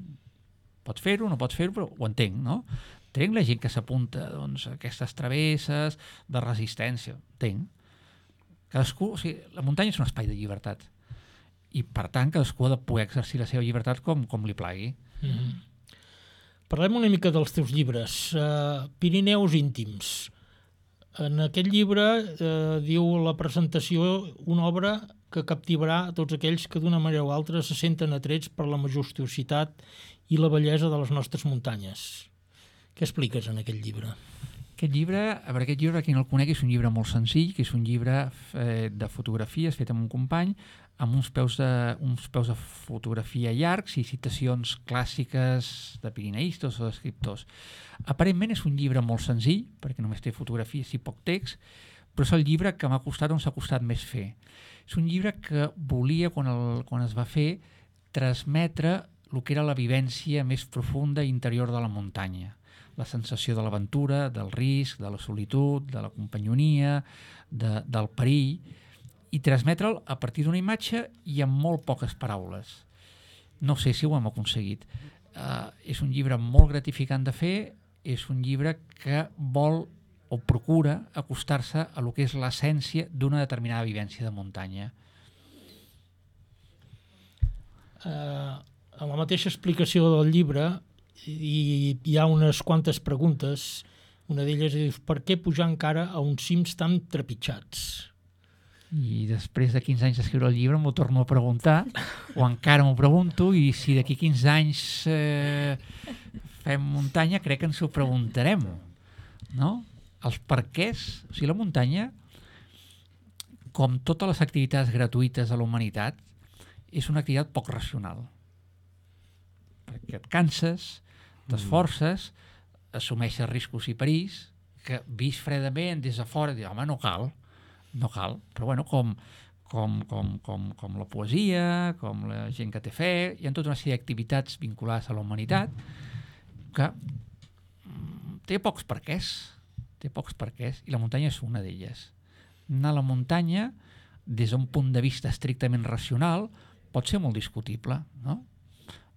pots fer-ho, no pots fer-ho, però ho entenc, no? Entenc la gent que s'apunta doncs, a aquestes travesses de resistència, entenc. Cadascú, o sigui, la muntanya és un espai de llibertat. i per tant cadascú ha de poder exercir la seva llibertat com, com li plagui. Mm-hmm. Parlem una mica dels teus llibres. Uh, Pirineus íntims. En aquest llibre eh, diu la presentació una obra que captivarà tots aquells que d'una manera o altra se senten atrets per la majestuositat i la bellesa de les nostres muntanyes. Què expliques en aquest llibre? Aquest llibre, a veure, aquest llibre, qui no el conegui, és un llibre molt senzill, que és un llibre eh, de fotografies fet amb un company, amb uns peus, de, uns peus de fotografia llargs i citacions clàssiques de pirineistes o d'escriptors. Aparentment és un llibre molt senzill, perquè només té fotografies i poc text, però és el llibre que m'ha costat on s'ha costat més fer. És un llibre que volia, quan, el, quan es va fer, transmetre el que era la vivència més profunda i interior de la muntanya. La sensació de l'aventura, del risc, de la solitud, de la companyonia, de, del perill, i transmetre'l a partir d'una imatge i amb molt poques paraules. No sé si ho hem aconseguit. Uh, és un llibre molt gratificant de fer, és un llibre que vol o procura acostar-se a lo que és l'essència d'una determinada vivència de muntanya. Uh, en la mateixa explicació del llibre hi, hi ha unes quantes preguntes. Una d'elles és: per què pujar encara a uns cims tan trepitjats? I després de quinze anys d'escriure el llibre m'ho torno a preguntar, o encara m'ho pregunto, i si d'aquí quinze anys eh, fem muntanya, crec que ens ho preguntarem, no? Els perquès, o sigui, la muntanya, com totes les activitats gratuïtes de la humanitat, és una activitat poc racional. Perquè et canses, t'esforces, assumeixes riscos i perills, que vist fredament des de fora, dius, home, no cal, no cal, però bueno, com, com, com, com, com la poesia, com la gent que té fe, hi ha tota una sèrie d'activitats vinculades a la humanitat que té pocs perquès, té pocs perquès, i la muntanya és una d'elles. Anar a la muntanya, des d'un punt de vista estrictament racional, pot ser molt discutible, no?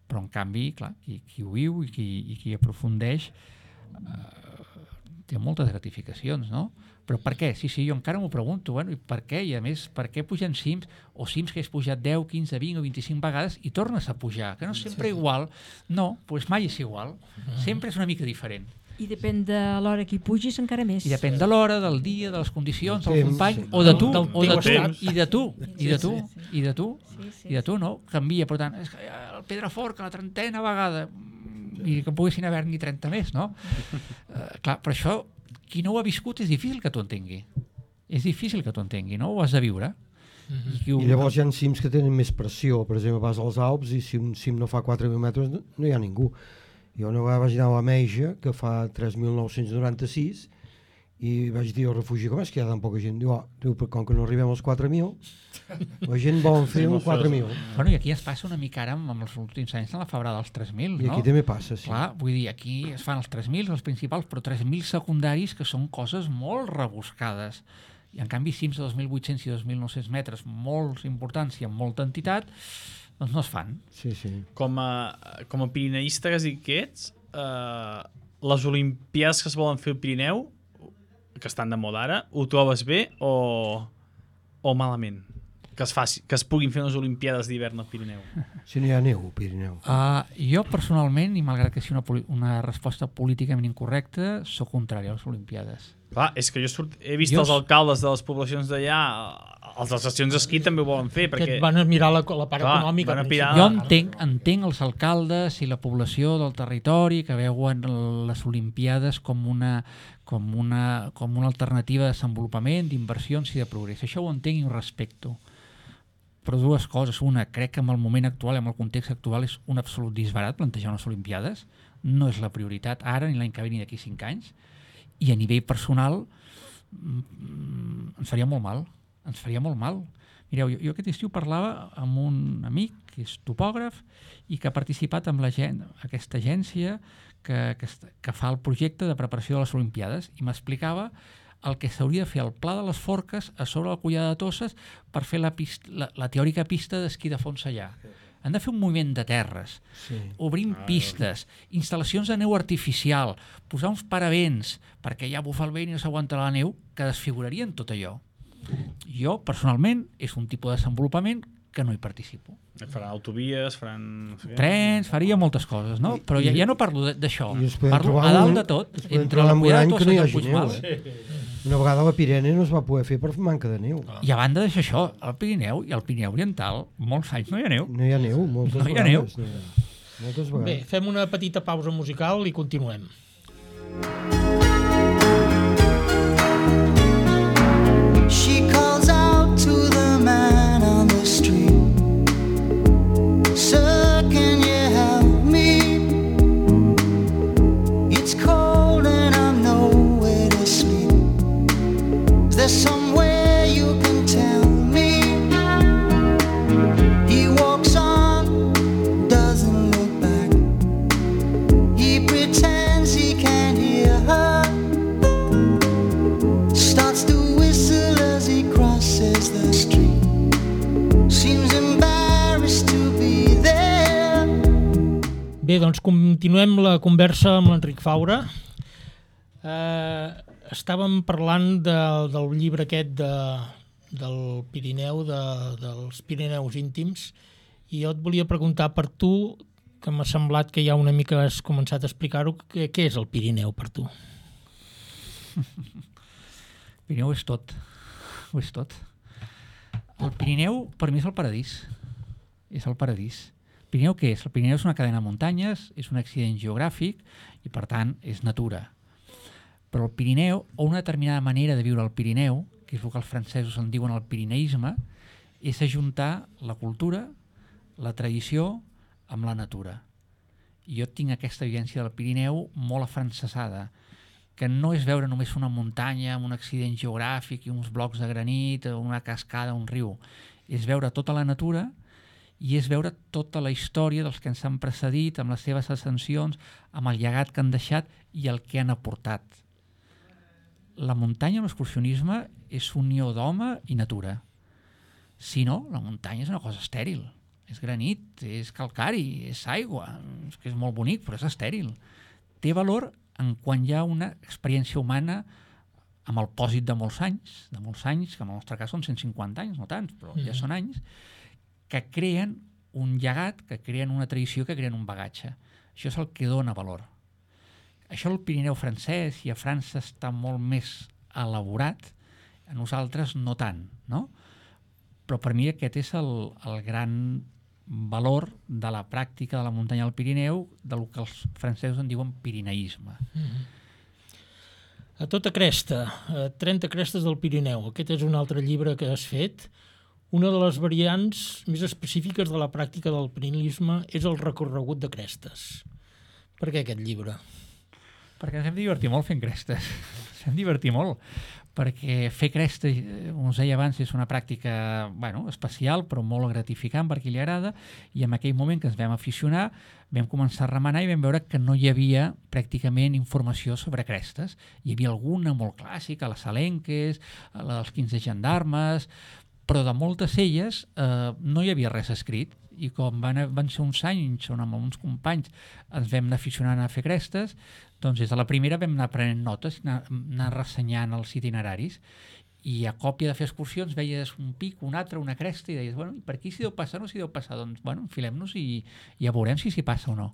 Però en canvi, clar, qui, qui ho viu i qui, i qui aprofundeix eh, té moltes gratificacions, no? Però per què? Sí, sí, jo encara m'ho pregunto, bueno, i per què? I a més, per què pugen cims, o cims que has pujat deu, quinze, vint o vint-i-cinc vegades i tornes a pujar, que no és sempre igual. No, doncs mai és igual. Sempre és una mica diferent. I depèn de l'hora que hi pugis encara més. I depèn de l'hora, del dia, de les condicions, del company, o de tu, o de tu, i de tu, i de tu, i de tu, i de tu, no? Canvia, per tant, és que el Pedrafort, que la trentena vegada, i que poguessin haver-n'hi trenta més, no? Uh, clar, però això, qui no ho ha viscut és difícil que t'ho entengui. És difícil que t'ho entengui, no? Ho has de viure. Mm-hmm. I, ho... I llavors hi ha cims que tenen més pressió. Per exemple, vas als Alps i si un cim no fa quatre mil metres no, no hi ha ningú. Jo una vegada vaig anar a la Meija, que fa tres mil nou-cents noranta-sis, i vaig dir al refugi, com és que hi ha tan poca gent? Diu, oh, diu, com que no arribem als quatre mil, la gent vol fer un quatre mil. Bueno, i aquí es passa una mica ara amb, amb els últims anys en la febrada dels tres mil, no? I aquí també passa, sí. Clar, vull dir, aquí es fan els tres mil, els principals, però tres mil secundaris, que són coses molt rebuscades. I en canvi cims de dos mil vuit-cents i dos mil nou-cents metres, molt importants i amb molta entitat, doncs no es fan. Sí, sí. Com a, com a pirineista que sí que ets, eh, les Olimpiades que es volen fer al Pirineu, que estan de moda ara, ho trobes bé o, o malament? Que es, faci, que es puguin fer unes Olimpiades d'hivern al Pirineu. Si no hi ha neu al Pirineu. Uh, jo personalment, i malgrat que sigui una, una resposta políticament incorrecta, sóc contrari a les Olimpiades. Clar, és que jo surt, he vist jo... els alcaldes de les poblacions d'allà, els de les estacions d'esquí també ho volen fer. Perquè van a mirar la, la part clar, econòmica. Pirar... Jo entenc, entenc els alcaldes i la població del territori que veuen les Olimpiades com una, com una, com una alternativa de desenvolupament, d'inversions i de progrés. Això ho entenc i ho respecto. Però dues coses. Una, crec que en el moment actual, en el context actual, és un absolut disbarat plantejar unes Olimpiades. No és la prioritat ara, ni l'any que ve, ni d'aquí cinc anys. I a nivell personal mm, ens faria molt mal. Ens faria molt mal. Mireu, jo, jo aquest estiu parlava amb un amic que és topògraf i que ha participat en la gen, aquesta agència que, que, que fa el projecte de preparació de les Olimpiades i m'explicava el que s'hauria de fer al Pla de les Forques a sobre la Collada de Tosses per fer la, pista, la, la teòrica pista d'esquí de fons allà. Han de fer un moviment de terres, sí. Obrim ah, pistes, instal·lacions de neu artificial, posar uns paravents perquè ja bufa el vent i no s'aguanta la neu, que desfigurarien tot allò. Jo, personalment, és un tipus de desenvolupament que no hi participo. Faran autovies, faran... Trens, faria moltes coses, no? Però ja, ja no parlo d'això. Parlo trobar a dalt un- de tot. es poden Entre trobar la un Pujada any de que no hi Tossa i el hagi neu, Puigmal. eh? Una vegada la Pirene no es va poder fer per manca de neu. I a banda d'això, això, el Pirineu i el Pirineu Oriental, molts anys no hi ha neu. No hi ha neu, moltes No hi ha neu. vegades. No hi ha. Moltes Bé, vegades. fem una petita pausa musical i continuem. She calls out to the man on the street. Sir, can you help me? It's cold and I'm nowhere to sleep. Is there somewhere you can tell me? He walks on, doesn't look back. He pretends he can't hear her. Starts to whistle as he crosses the street. Seems embarrassed to be there. Bé, doncs continuem la conversa amb l'Enric Faura. Eh, estàvem parlant de, del llibre aquest de, del Pirineu, de, dels Pirineus íntims, i jo et volia preguntar per tu, que m'ha semblat que ja una mica has començat a explicar-ho, què, què és el Pirineu per tu? Pirineu és tot. Ho és tot. El Pirineu, per mi, és el paradís. És el paradís. Pirineu què és? El Pirineu és una cadena de muntanyes, és un accident geogràfic i, per tant, és natura. Però el Pirineu, o una determinada manera de viure el Pirineu, que és el que els francesos en diuen el pirineisme, és ajuntar la cultura, la tradició, amb la natura. I jo tinc aquesta vivència del Pirineu molt afrancesada, que no és veure només una muntanya amb un accident geogràfic i uns blocs de granit, una cascada, un riu. És veure tota la natura i és veure tota la història dels que ens han precedit, amb les seves ascensions, amb el llegat que han deixat i el que han aportat. La muntanya, l'excursionisme, és unió d'home i natura. Si no, la muntanya és una cosa estèril. És granit, és calcari, és aigua, és que és molt bonic, però és estèril. Té valor en quan hi ha una experiència humana amb el pòsit de molts anys, de molts anys, que en el nostre cas són cent cinquanta anys, no tants, però ja són anys, que creen un llegat, que creen una tradició, que creen un bagatge. Això és el que dona valor. Això al Pirineu francès i a França està molt més elaborat, a nosaltres no tant, no? Però per mi aquest és el, el gran valor de la pràctica de la muntanya al Pirineu, del que els francesos en diuen pirineisme. Mm-hmm. A tota cresta, a trenta crestes del Pirineu. Aquest és un altre llibre que has fet. Una de les variants més específiques de la pràctica del pirineisme és el recorregut de crestes. Per què aquest llibre? Perquè ens hem divertit molt fent crestes. Ens hem divertit molt. Perquè fer crestes, com us deia abans, és una pràctica bueno, especial, però molt gratificant per qui li agrada, i en aquell moment que ens vam aficionar vam començar a remenar i vam veure que no hi havia pràcticament informació sobre crestes. Hi havia alguna molt clàssica, les Salenques, la dels quinze gendarmes, però de moltes elles eh, no hi havia res escrit, i com van, van ser uns anys on amb uns companys ens vam anar aficionant a fer crestes, doncs des de la primera vam anar prenent notes, anar, anar ressenyant els itineraris, i a còpia de fer excursions veies un pic, un altre, una cresta, i deies, bueno, per aquí s'hi deu passar o no s'hi deu passar? Doncs, bueno, enfilem-nos i ja veurem si s'hi passa o no.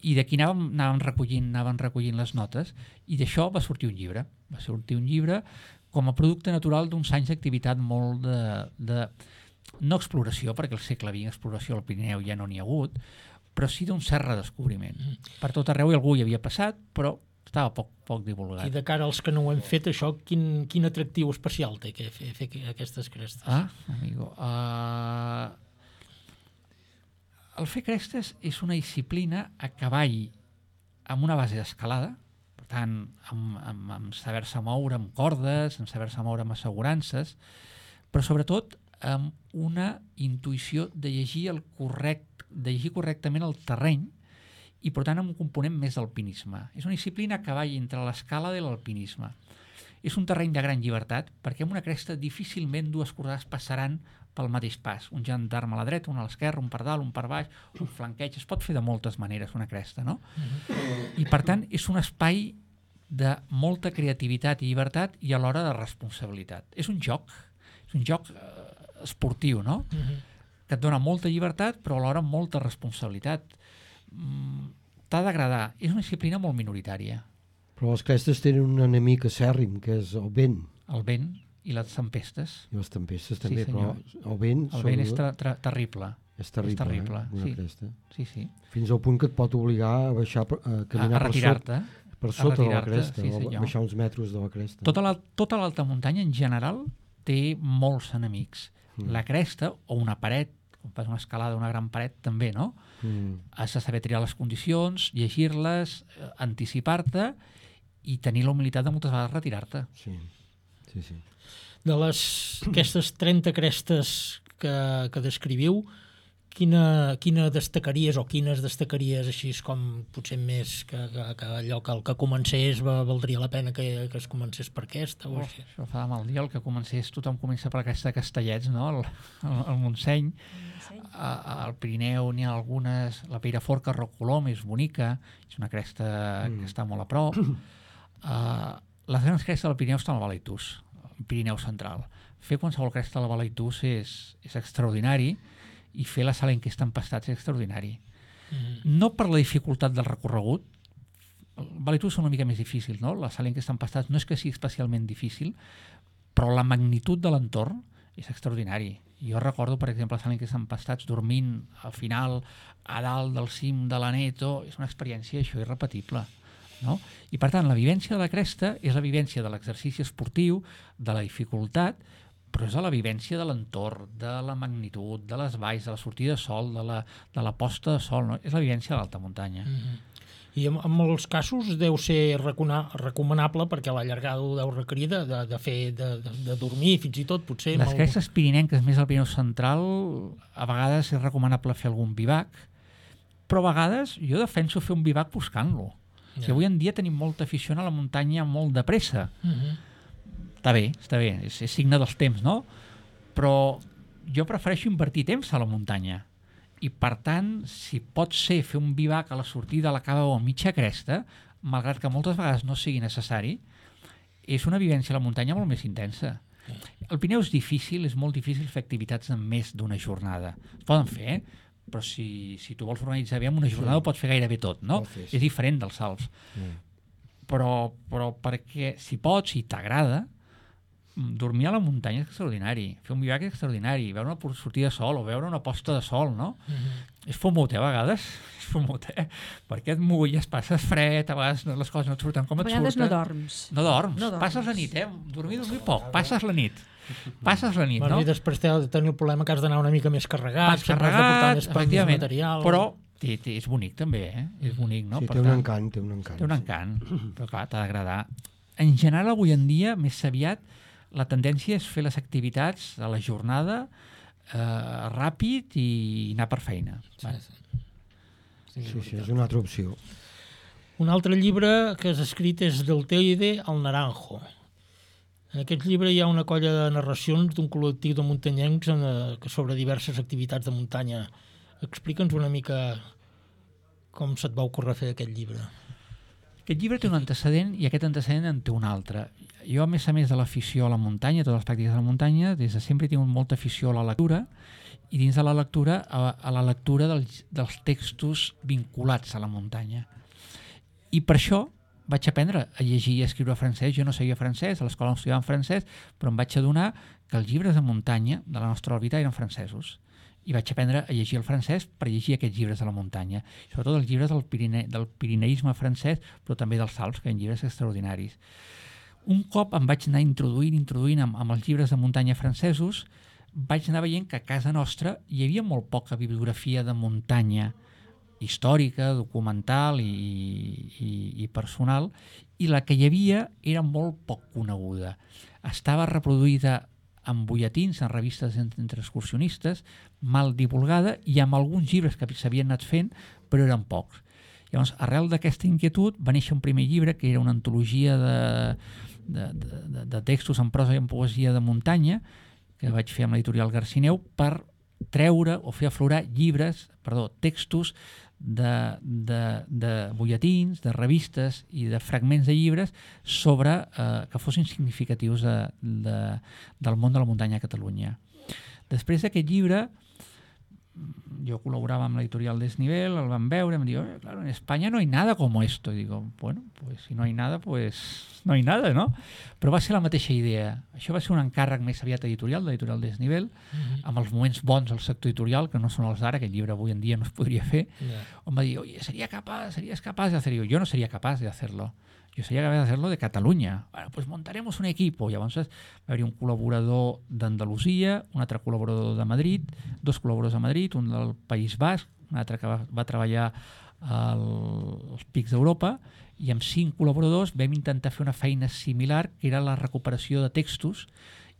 I d'aquí anàvem, anàvem, recollint, anàvem recollint les notes, i d'això va sortir un llibre. Va sortir un llibre com a producte natural d'uns anys d'activitat molt de, de... no exploració, perquè al segle vint exploració al Pirineu ja no n'hi ha hagut, però sí d'un cert redescobriment. Per tot arreu algú hi havia passat, però estava poc, poc divulgat. I de cara als que no ho hem fet, això, quin, quin atractiu especial té que fer, fer aquestes crestes? Ah, amigo... Uh... El fer crestes és una disciplina a cavall amb una base d'escalada, per tant, amb, amb, amb saber-se moure amb cordes, amb saber-se moure amb assegurances, però sobretot amb una intuïció de llegir el correct, de llegir correctament el terreny, i per tant amb un component més d'alpinisme. És una disciplina a cavall entre l'escalada i l'alpinisme. És un terreny de gran llibertat, perquè en una cresta difícilment dues cordes passaran pel mateix pas. Un gendarme a la dreta, un a l'esquerra, un per dalt, un per baix, un flanqueig. Es pot fer de moltes maneres una cresta, no? Mm-hmm. I per tant és un espai de molta creativitat i llibertat i alhora de responsabilitat. És un joc, és un joc eh, esportiu, no? Mm-hmm. que et dona molta llibertat, però alhora molta responsabilitat. Mm, T'ha d'agradar. És una disciplina molt minoritària. Però les crestes tenen un enemic acèrrim, que és el vent. El vent i les tempestes. I les tempestes també, Sí, però senyor. el vent... El vent és ter ter terrible. És terrible, és terrible, eh? Una sí. cresta. Sí, sí. Fins al punt que et pot obligar a baixar, a caminar A- a per retirar-te. sota, per A sota de la retirar-te, cresta, sí, o senyor. baixar uns metres de la cresta. Tota la- tota l'alta muntanya, en general, té molts enemics. Mm. La cresta, o una paret, quan fas una escalada, una gran paret, també, no? Mm. Has de saber triar les condicions, llegir-les, eh, anticipar-te i tenir la humilitat de moltes vegades retirar-te. Sí, sí, sí. De les, aquestes trenta crestes que, que descriviu, quina, quina destacaries o quines destacaries així com potser més que, que, que allò que el que comencés va, valdria la pena que, que es comencés per aquesta? O Oh, així? això fa de mal dia, el que comencés, tothom comença per aquesta de Castellets, no? El, el, el Montseny. A- Al Pirineu n'hi ha algunes, la Peiraforca, Roc Colom, és bonica, és una cresta Mm. que està molt a prop. Uh, les grans crestes del Pirineu estan al Balaitús, el Pirineu central. Fer qualsevol cresta al Balaitús és, és extraordinari, i fer la sala en què estan pastats és extraordinari. Mm. No per la dificultat del recorregut, el Balaitús és una mica més difícil, no? La sala en què estan pastats no és que sigui especialment difícil, però la magnitud de l'entorn és extraordinari. Jo recordo, per exemple, la sala en què estan pastats dormint al final a dalt del cim de l'Aneto, és una experiència això irrepetible. No? I per tant, la vivència de la cresta és la vivència de l'exercici esportiu, de la dificultat, però és la vivència de l'entorn, de la magnitud, de les valls, de la sortida de sol, de la, de la posta de sol, no? És la vivència de l'alta muntanya. Mm -hmm. I en, en molts casos deu ser recona, recomanable perquè la llargada ho deu requerir de, de, de fer de, de, de dormir fins i tot potser. Les amb crestes pirinenques, més al Pirineu central, a vegades és recomanable fer algun bivac, però a vegades jo defenso fer un bivac buscant-lo. Ja. Si avui en dia tenim molta afició a la muntanya molt de pressa. Mm -hmm. Està bé, està bé, és, és signe dels temps, no? Però jo prefereixo invertir temps a la muntanya. I per tant, si pot ser fer un bivac a la sortida a la cava o a mitja cresta, malgrat que moltes vegades no sigui necessari, és una vivència a la muntanya molt més intensa. El Pirineu és difícil, és molt difícil fer activitats en més d'una jornada. Es poden fer, eh? Però si, si tu vols organitzar bé en una jornada Sí. ho pots fer gairebé tot, no? Pot fer, sí. És diferent dels Alps. Mm. Però, però perquè si pots, si t'agrada, dormir a la muntanya és extraordinari, fer un bivac és extraordinari, veure una sortida de sol o veure una posta de sol, no? Mm -hmm. És fumut, eh, a vegades, és fumut, eh? Perquè et mulles, passes fred, a vegades no, les coses no et surten com A et vegades surten. no dorms. No dorms, No dorms. passes la nit, eh? Dormir, dormir poc, passes la nit. Passes la nit, Bueno, no? I després t'has de tenir el problema que has d'anar una mica més carregat, Vas sempre has de portar carregat, més, més efectivament, material. però té, té, és bonic també, eh? És bonic, no? Sí, Per té un tant, encant, té un encant. Té un encant, però clar, t'ha d'agradar. En general, avui en dia, més aviat, la tendència és fer les activitats a la jornada eh, ràpid i anar per feina. Sí, Vale. sí. Sí, sí, és una altra opció. Un altre llibre que has escrit és Del Teide al Naranjo. En aquest llibre hi ha una colla de narracions d'un col·lectiu de muntanyencs en, eh, sobre diverses activitats de muntanya. Explica'ns una mica com se't va ocórrer fer aquest llibre. Aquest llibre té un antecedent i aquest antecedent en té un altre. Jo, a més a més de l'afició a la muntanya, totes les pràctiques de la muntanya, des de sempre he tingut molta afició a la lectura i dins de la lectura a, a la lectura dels, dels textos vinculats a la muntanya. I per això vaig aprendre a llegir i a escriure francès. Jo no sabia francès, a l'escola no estudiava en francès, però em vaig adonar que els llibres de muntanya de la nostra òrbita eren francesos. I vaig aprendre a llegir el francès per llegir aquests llibres de la muntanya. Sobretot els llibres del, Pirine, del pirineisme francès, però també dels Alps, que eren llibres extraordinaris. Un cop em vaig anar introduint, introduint amb, amb els llibres de muntanya francesos, vaig anar veient que a casa nostra hi havia molt poca bibliografia de muntanya històrica, documental i, i, i personal, i la que hi havia era molt poc coneguda. Estava reproduïda en butlletins, en revistes entre excursionistes, mal divulgada i amb alguns llibres que s'havien anat fent, però eren pocs. Llavors, arrel d'aquesta inquietud va néixer un primer llibre que era una antologia de, de, de, de textos en prosa i en poesia de muntanya, que vaig fer amb l'editorial Garcineu, per treure o fer aflorar llibres, perdó, textos de, de, de butlletins, de revistes i de fragments de llibres sobre eh, que fossin significatius de, de, del món de la muntanya a Catalunya. Després d'aquest llibre yo colaboraba amb l'editorial Desnivel, el van veure, em diu, "Oye, claro, en España no hay nada como esto". Y digo, bueno, pues si no hay nada, pues no hay nada, no? Però va ser la mateixa idea. Això va ser un encàrrec més aviat editorial, l'editorial Desnivel, mm-hmm. amb els moments bons del sector editorial, que no són els d'ara, aquest llibre avui en dia no es podria fer, yeah. on va dir, oye, sería capaz, serías capaz de hacerlo. Yo no sería capaz de hacerlo. Yo sería capaz de hacerlo de Catalunya. Bueno, pues montaremos un equipo. Llavors va haver-hi un col·laborador d'Andalusia, un altre col·laborador de Madrid, dos col·laboradors de Madrid, un del País Basc, un altre que va, va treballar al, als Pics d'Europa, i amb cinc col·laboradors vam intentar fer una feina similar, que era la recuperació de textos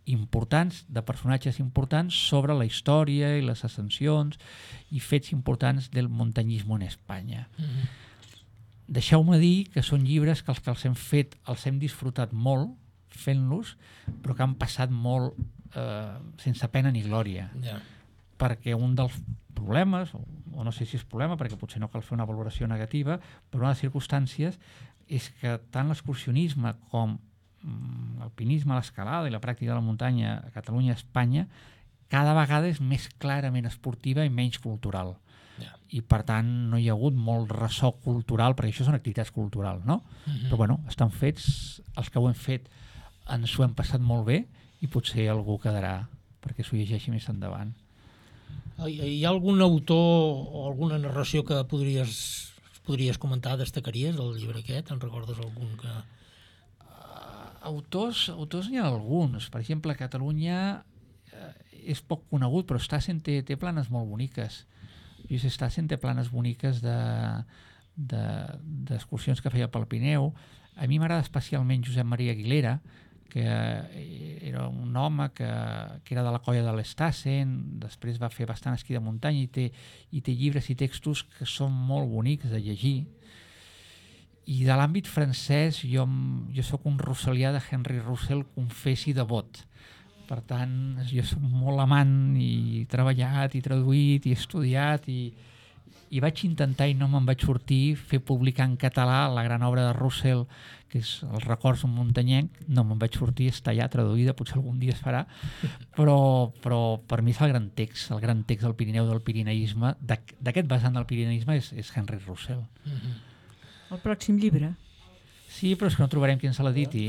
importants, de personatges importants, sobre la història i les ascensions i fets importants del muntanyisme en Espanya. Mm-hmm. Deixeu-me dir que són llibres que els que els hem fet els hem disfrutat molt fent-los, però que han passat molt eh, sense pena ni glòria. Yeah. Perquè un dels problemes, o, o no sé si és problema, perquè potser no cal fer una valoració negativa, però una de les circumstàncies és que tant l'excursionisme com mm, l'alpinisme, l'escalada i la pràctica de la muntanya a Catalunya i a Espanya cada vegada és més clarament esportiva i menys cultural. Yeah. I per tant no hi ha hagut molt ressò cultural, perquè això són activitats culturals, no? Mm-hmm. Però bueno, estan fets, els que ho hem fet ens ho hem passat molt bé i potser algú quedarà perquè s'ho llegeixi més endavant. Hi ha algun autor o alguna narració que podries, podries comentar, destacaries del llibre aquest? En recordes algun que... Uh, autors, autors n'hi ha alguns. Per exemple, a Catalunya uh, és poc conegut, però Stassen té, té planes molt boniques. Lluís Stassen té planes boniques d'excursions de, de, que feia pel Pirineu. A mi m'agrada especialment Josep Maria Aguilera, que era un home que, que era de la colla de l'Stassen, després va fer bastant esquí de muntanya i té, i té llibres i textos que són molt bonics de llegir. I de l'àmbit francès, jo, jo sóc un russelià de Henry Russell, confés i devot. Per tant, jo soc molt amant i he treballat i traduït i estudiat i, i vaig intentar, i no me'n vaig sortir, fer publicar en català la gran obra de Russell, que és Els records d'un muntanyenc. No me'n vaig sortir, està ja traduïda, potser algun dia es farà, però, però per mi és el gran text, el gran text del Pirineu, del pirineisme, d'aquest vessant del pirineisme és, és Henry Russell. Mm-hmm. El pròxim llibre? Sí, però és que no trobarem qui ens l'editi.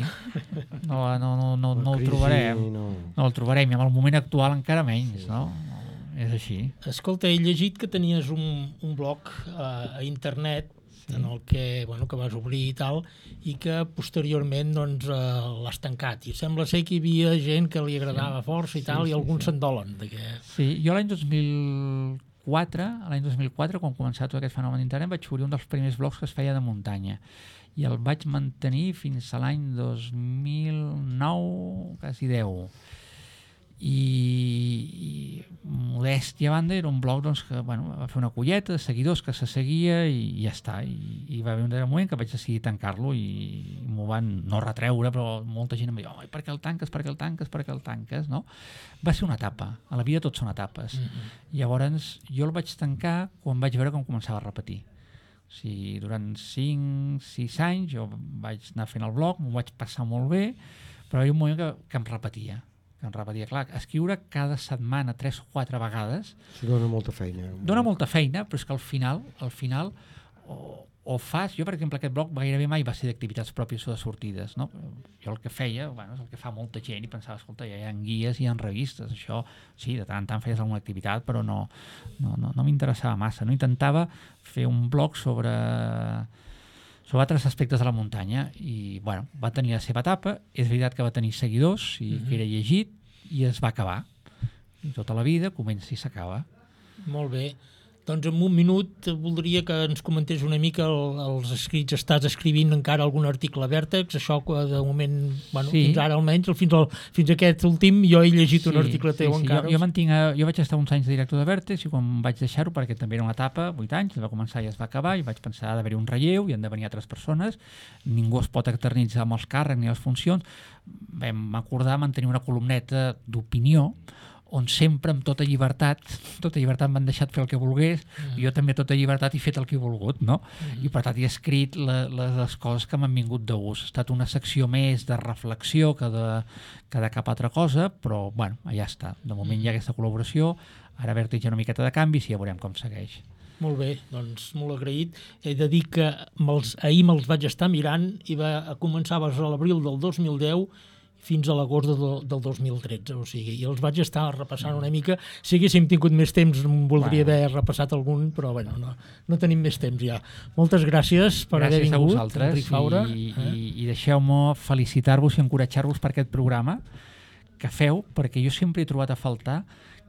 No, no, no, no, no el trobarem. No. no el trobarem, i amb el moment actual encara menys, sí. No? És així. Escolta, he llegit que tenies un, un blog a, a internet, sí. En el que, bueno, que vas obrir i tal, i que posteriorment doncs, uh, l'has tancat. I sembla ser que hi havia gent que li agradava sí. força i tal, sí, i alguns sí, sí. se'n dolen. Que... Sí, jo l'any dos mil quatre, l'any dos mil quatre, quan començava tot aquest fenomen d'internet, vaig obrir un dels primers blogs que es feia de muntanya. I el vaig mantenir fins a l'any dos mil nou, quasi deu. I, i modèstia a banda, era un blog doncs, que bueno, va fer una colleta de seguidors que se seguia i, i ja està. I, i va haver un moment que vaig decidir tancar-lo i, i m'ho van no retreure, però molta gent em va dir, oh, per què el tanques, per què el tanques, per què el tanques, no? Va ser una etapa, a la vida tot són etapes. Mm-hmm. Llavors jo el vaig tancar quan vaig veure com començava a repetir. O sigui, durant cinc sis anys jo vaig anar fent el blog, m'ho vaig passar molt bé, però hi havia un moment que, que em repetia. Que em repetia. Clar, escriure cada setmana tres o quatre vegades... Sí, dona molta feina. Dona molta feina, però és que al final, al final o, o fas... Jo, per exemple, aquest blog gairebé mai va ser d'activitats pròpies o de sortides, no? Jo el que feia, bueno, és el que fa molta gent i pensava, escolta, ja hi ha guies i hi ha revistes, això, sí, de tant en tant feies alguna activitat, però no, no, no, no m'interessava massa. No intentava fer un blog sobre... sobre altres aspectes de la muntanya i bueno, va tenir la seva etapa, és veritat que va tenir seguidors i mm-hmm. que era llegit i es va acabar. I tota la vida comença i s'acaba. Molt bé. Doncs en un minut voldria que ens comentés una mica el, els escrits. Estàs escrivint encara algun article a Vèrtex, això que de moment, bueno, sí. fins ara almenys, fins, al, fins a aquest últim, jo he llegit sí, un article teu sí, sí. encara. Jo, jo, mantinc, jo vaig estar uns anys de director de Vèrtex i quan vaig deixar-ho, perquè també era una etapa, vuit anys, va començar i es va acabar, i vaig pensar d'haver-hi un relleu i han de venir altres persones, ningú es pot eternitzar amb els càrrecs ni les funcions, vam acordar mantenir una columneta d'opinió on sempre amb tota llibertat, tota llibertat m'han deixat fer el que volgués, mm. i jo també tota llibertat he fet el que he volgut, no? Mm. I per tant he escrit la, la, les coses que m'han vingut de gust. Ha estat una secció més de reflexió que de, que de cap altra cosa, però bueno, ja està. De moment hi ha aquesta col·laboració, ara Vèrtex una miqueta de canvis i ja veurem com segueix. Molt bé, doncs molt agraït. He de dir que me'ls, ahir me'ls vaig estar mirant i va començar a l'abril del dos mil deu fins a l'agost del, del dos mil tretze, o sigui, i els vaig estar repassant una mica. Si haguéssim tingut més temps, voldria haver repassat algun, però bueno, no, no tenim més temps ja. Moltes gràcies per gràcies haver vingut, a vosaltres, Enric Faura. I, eh? i, i deixeu-me felicitar-vos i encoratjar-vos per aquest programa que feu, perquè jo sempre he trobat a faltar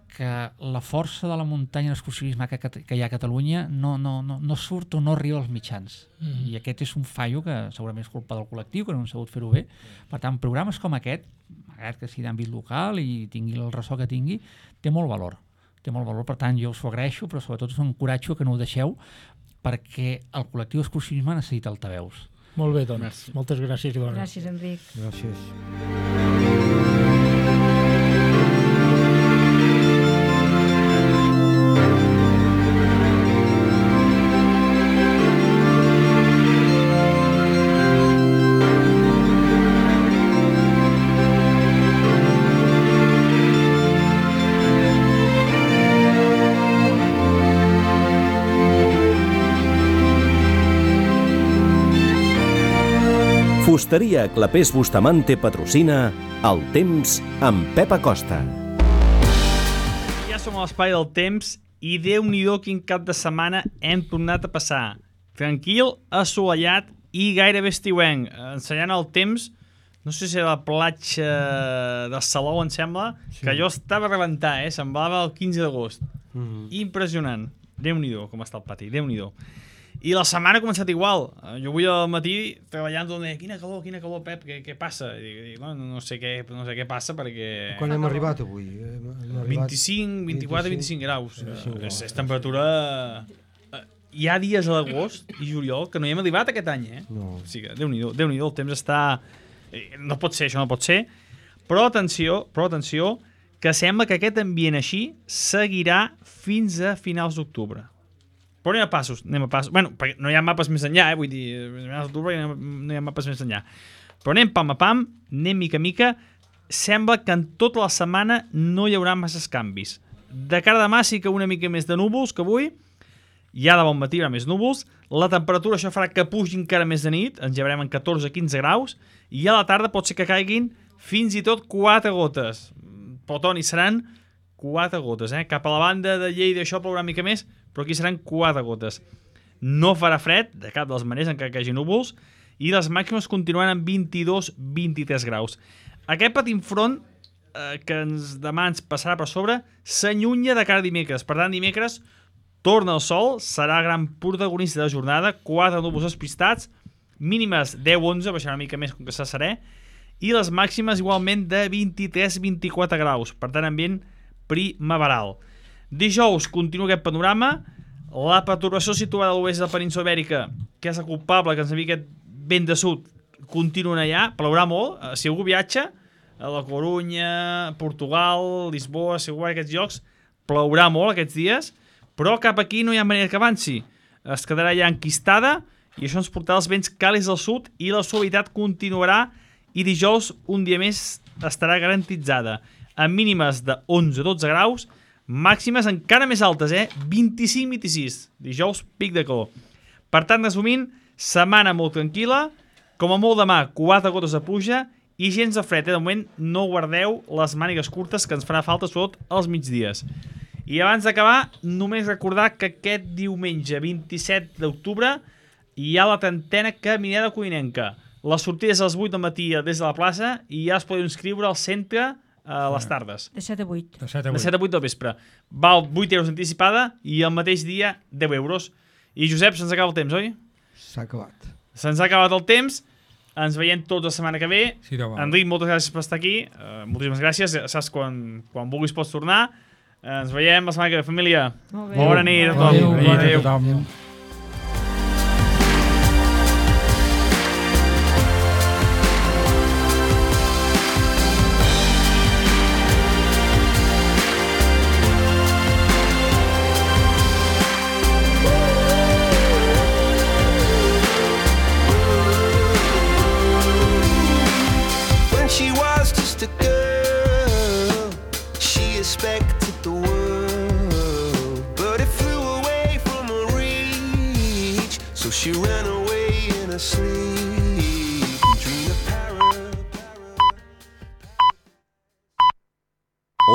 que la força de la muntanya i l'excursionisme que, que hi ha a Catalunya no, no, no, no surt o no arriba als mitjans. Mm. I aquest és un fallo que segurament és culpa del col·lectiu, que no han sabut fer-ho bé. Per tant, programes com aquest, malgrat que sigui d'àmbit local i tingui el ressò que tingui, té molt valor. Té molt valor, per tant, jo us ho agraeixo, però sobretot us encoratjo que no ho deixeu, perquè el col·lectiu d'excursionisme necessita altaveus. Molt bé, doncs. Merci. Moltes gràcies i bona. Gràcies, Enric. Gràcies. Fusteria Clapés Bustamante patrocina El Temps amb Pep Acosta. Ja som a l'espai del temps i Déu-n'hi-do quin cap de setmana hem tornat a passar. Tranquil, assolellat i gairebé estiuenc. Ensenyant el temps, no sé si era la platja de Salou, em sembla, sí. Que jo estava a rebentar, eh? Semblava el quinze d'agost. Mm-hmm. Impressionant. Déu-n'hi-do com està el pati, Déu-n'hi-do. I la setmana ha començat igual. Jo avui al matí treballant on deia, quina calor, quina calor, Pep, què, què passa? I dic, no, no, sé què, no sé què passa perquè... Quan hem arribat avui? Hem arribat... vint-i-cinc, vint-i-quatre, vint-i-cinc graus. vint-i-cinc és, és temperatura... Hi ha dies a l'agost i juliol que no hi hem arribat aquest any, eh? No. O sigui, Déu-n'hi-do, Déu-n'hi-do, el temps està... No pot ser, això no pot ser. Però atenció, però atenció, que sembla que aquest ambient així seguirà fins a finals d'octubre. Però anem a passos, anem a passos. Bueno, perquè no hi ha mapes més enllà, eh? Vull dir, no hi ha mapes més enllà. Però anem pam a pam, anem mica a mica. Sembla que en tota la setmana no hi haurà masses canvis. De cara a demà sí que una mica més de núvols que avui. Ja de bon matí hi haurà més núvols. La temperatura això farà que pugi encara més de nit. Ens llevarem en catorze a quinze graus. I a la tarda pot ser que caiguin fins i tot quatre gotes. Però, Toni, seran quatre gotes, eh? Cap a la banda de Lleida això plourà mica més, però aquí seran quatre gotes. No farà fred, de cap de les maneres, encara que hi hagi núvols, i les màximes continuaran en vint-i-dos a vint-i-tres graus. Aquest petit front eh, que ens, demà ens passarà per sobre s'allunya de cara a dimecres. Per tant, dimecres torna el sol, serà gran protagonista de jornada, quatre núvols espistats, mínimes deu a onze, baixarà una mica més com que s'ha serè, i les màximes igualment de vint-i-tres a vint-i-quatre graus. Per tant, ambient primaveral. Dijous continua aquest panorama. La perturbació situada a l'oest de la península Ibèrica, que és la culpable que ens envia aquest vent de sud, continua allà, plourà molt. Si algú viatja a la Corunya, Portugal, Lisboa, si algú va a aquests llocs, plourà molt aquests dies, però cap aquí no hi ha manera que avanci. Es quedarà ja enquistada i això ens portarà els vents càlids del sud i la suavitat continuarà i dijous un dia més estarà garantitzada amb mínimes de onze a dotze graus, màximes encara més altes, eh? vint-i-cinc a vint-i-sis. Dijous, pic de calor. Per tant, resumint, setmana molt tranquil·la, com a molt demà, quatre gotes de pluja i gens de fred. Eh? De moment, no guardeu les mànigues curtes que ens farà falta, sobretot als migdies. I abans d'acabar, només recordar que aquest diumenge, vint-i-set d'octubre, hi ha la trentena Caminada Codinenca. La sortida és a les vuit del matí des de la plaça i ja es podeu inscriure al centre a les tardes. De set a vuit. De set a vuit. De set a vuit del vespre. Val vuit euros anticipada i el mateix dia deu euros. I Josep, se'ns acaba el temps, oi? S'ha acabat. Se'ns ha acabat el temps. Ens veiem tots la setmana que ve. Sí, Enric, moltes gràcies per estar aquí. Uh, moltíssimes gràcies. Saps, quan, quan vulguis pots tornar. Uh, ens veiem la setmana que ve, família. Molt bé. Bona nit a tothom. Adéu, bona nit a tothom. respected the world, but it flew away from her reach, so she ran away in her sleep.